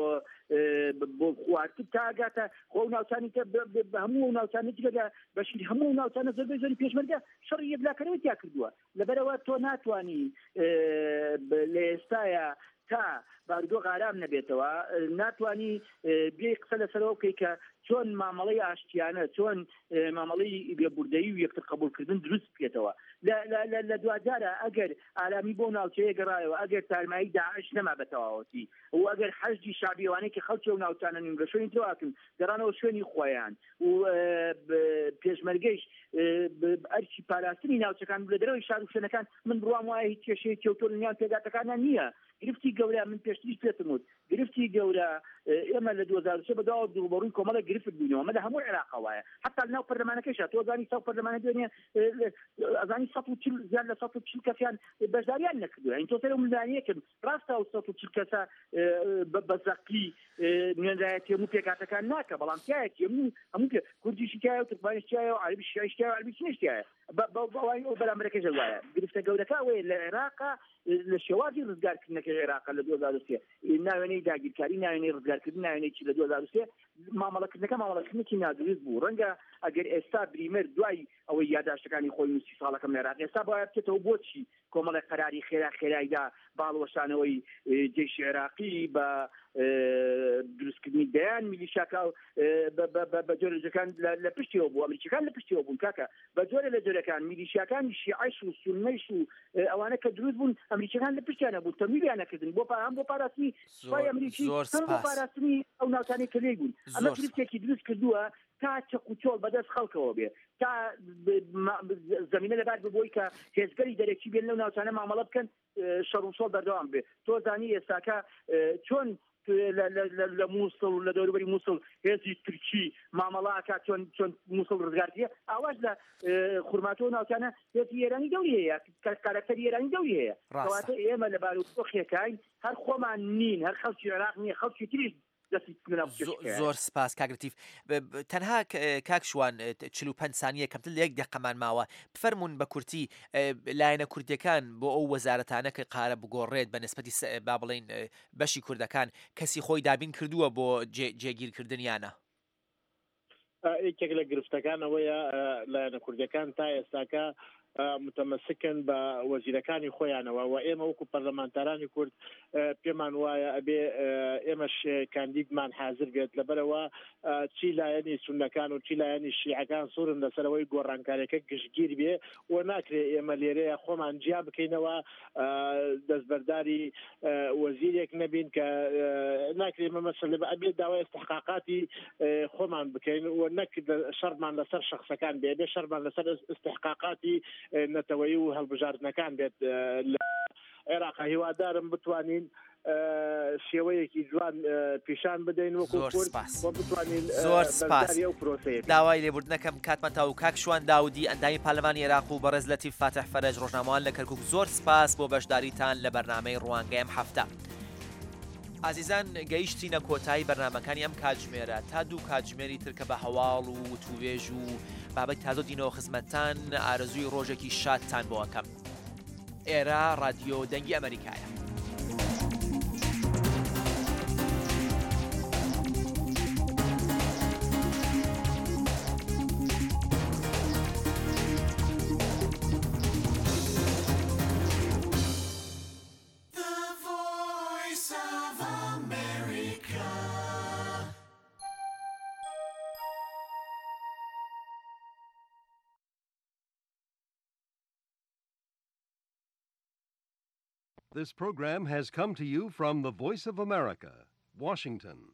Speaker 20: بۆ خوارتر تا ئەگاتە خۆ ئەو ناوچانی کە بە هەموو ئەو ناوچانە جگە لە بەشیر هەموو ئەو ناوچانە زۆربەی زۆری پێشمەرگە شەڕی یەکلاکەرەوەی تیا کردووە. لەبەرەوە تۆ ناتوانی لە ئێستایا تا بارودۆخ ئارام نەبێتەوە ناتوانی بێ قسە لەسەرەوە بکەی کە چۆن مامەڵەی ئاشتیانە، چۆن مامەڵەی لێبوردەیی و یەکتر قبوڵکردن دروست بکێتەوە. لە دواجارە ئەگەر ئارامی بۆ ناوچەیە گەڕایەوە، ئەگەر تارمایی داعش نەما بە تەواوەتی و ئەگەر حەشدی شەعبیوانەی کە خەڵکی ئەو ناوچانە نین لە شوێنی ترەوە هاتوون گەڕانەوە شوێنی خۆیان و پێشمەرگەیش ئەرکی پاراستنی ناوچەکان لە دەرەوەی شار و شوێنەکان، من بڕوام وایە هیچ کێشەیەکی ئەوتۆ لە نێوان پێکهاتەکانیان نییە. گرفتی گەورە، من پێشتریش پێتم وت، گرفتی گەورە ئێمە لە دوو هەزار و سێ بەداوە ڕووبەڕووی کۆمەڵێک گرفت بووینەوە. ئەمە لە هەموو عێراقا وایە، حتا لەناو پەرلەمانەکەیشا تۆ ئەزانی ساو پەرلەمانە دوێنێ ئەزانی سەد و چل زیاد لە سەد و چل کەسیان بەشداریان نەکردووە. یعنی تۆ سەر ئەو ململانێیەکن ڕاستە ئەو سەد و چل کەسە بە زەقی نوێنەرایەتی هەموو پێکهاتەکان ناکە، بەڵام تایەتی هەموو هەموو پێ کوردیشی تایە و تورکمانیش تایە و عەرەبیش شیعیش تایە و عەرەبی سونیش تایە. بەوای ئەو بەرامبەرەکەش وایە. گرفتە گەورەکە ئەوەیە لە عێراقا لە شێوازی ڕزگارکردنەکەی عێراقا لە دوو هەزار و سێ ناوێنەی داگیرکاری، ناوێنەی ڕزگارکردن، ناوێنەی چی لە دوو هەزار و سێ مامەڵەکردنەکە مامەڵەکردنێکی نادروست بوو. ڕەنگە ئەگەر ئێستا بریمەر دوای ئەوەی یاداشتەکانی خۆی نووسی ساڵەکەم لە عێراق ئێستا باید بچێتەوە بۆچی کۆمەڵێک قەراری خێرا خێرایدا باڵوەشانەوەی جەیشی عێراقی بە دروستکردنی دەیان میلیشاکە بە جۆرەکان لە پشتیەوە بوو، ئەمریکیەکان لە پشتیەوە بوون کاکە، بە جۆرە لە جۆرەکان میلیشیاکانی شیعەش و سوننەیش و ئەوانە کە دروست بوون ئەمریکیەکان لە پشتیانە بوون، تەمویلیان نەکردن بۆ هەم بۆ پاراستنی سوپای ئەمریکی هەم بۆ پاراستنی ئەو ناوچانەی کە لێی بوون. ئەمە گرفتێکی دروست کردووە تا چەق و چۆڵ بەدەست خەڵکەوە بێ، تا زمینە لەبار ببووی کە هێزگەری دەرەکی بێن لەو ناوچانە مامەڵە بکەن، شەڕ و شۆڵ بەردەوام بێ. تۆ زانی ئێستاکە چۆن لە مووسڵ و لە دەوروبەری مووسڵ هێزی تورکی مامەڵاکە چۆن چۆن مووسڵ ڕزگار کردیە، ئاواش لە خورماتۆ ناوچانە هێزی ئێرانی دەوری هەیە، کارەکتەری ئێرانی دەوری هەیە. کەواتە ئێمە لە بارودۆخێکاین هەر خۆمان نین، هەر خەڵکی عێراق نییە، خەڵکی تریش
Speaker 18: زۆر سپاس کاک لەتیف. تەنها کاک شوان چل و پەنج سانیە کەمتر لە یەک دقەمان ماوە، بفەرمونون بە کورتی لایەنە کوردیەکان بۆ ئەو وەزارەتانە کە قارە بگۆڕێت بە نسبەتی با بڵێین بەشی کوردەکان کەسی خۆی دابین کردووە بۆ جێگیرکردنیانە؟
Speaker 19: یەکێک لە گرفتەکان ئەوەیە لایەنە کوردیەکان تا ئێستاکە متەمەسکن بە وەزیرەکانی خۆیانەوە و ئێمە وەکو پەرلەمانتارانی کورد پێمان وایە ئەبێ ئێمەش کاندیدمان حاضر بێت. لەبەرەوە چی لایەنی سوننەکان و چی لایەنی شیعەکان سوورن لەسەرەوەی گۆڕانکاریەکە گشتگیر بێ و ناکرێ ئێمە لێرەیە خۆمان جیا بکەینەوە دەستبەرداری وەزیرێک نەبین کە ناکرێ ئێمە مەسەلە بە ئەبێ داوای استحقاقاتی خۆمان بکەین و نەک شەڕمان لەسەر شخصەکان بێ، بێ شەڕمان لەسەر استحقاقاتی نەتەوەیی و هەڵبژاردنەکان بێت لە عێراق. هیوادارم بتوانین شێوەیەکی جوان پیشان بدەین وەکو کورد و بتوانین
Speaker 18: زۆر سپاس.
Speaker 19: بەشداری ئەو پرۆسەیە بین.
Speaker 18: داوای لێبوردنەکەم کاتمان تاو کاک شوان داودی ئەندامی پەرلەمانی عێراق و بەڕێز لەتیف فاتح فەرەج ڕۆژنامەوان لە کەرکوک، زۆر سپاس بۆ بەشداریتان لە بەرنامەی ڕوانگەی ئەم هەفتە. ئازیزان گەیشتینە کۆتایی بەرنامەکانی ئەم کاتژمێرە. تا دوو کاتژمێری تر کە بە هەواڵ و وتووێژ و بابەت تازۆ دینەوە خزمەتتان، ئارەزووی ڕۆژێکی شادتان بۆ ئەکەم. ئێرە ڕادیۆ دەنگی ئەمریکایە.
Speaker 21: This program has come to you from the Voice of America, Washington.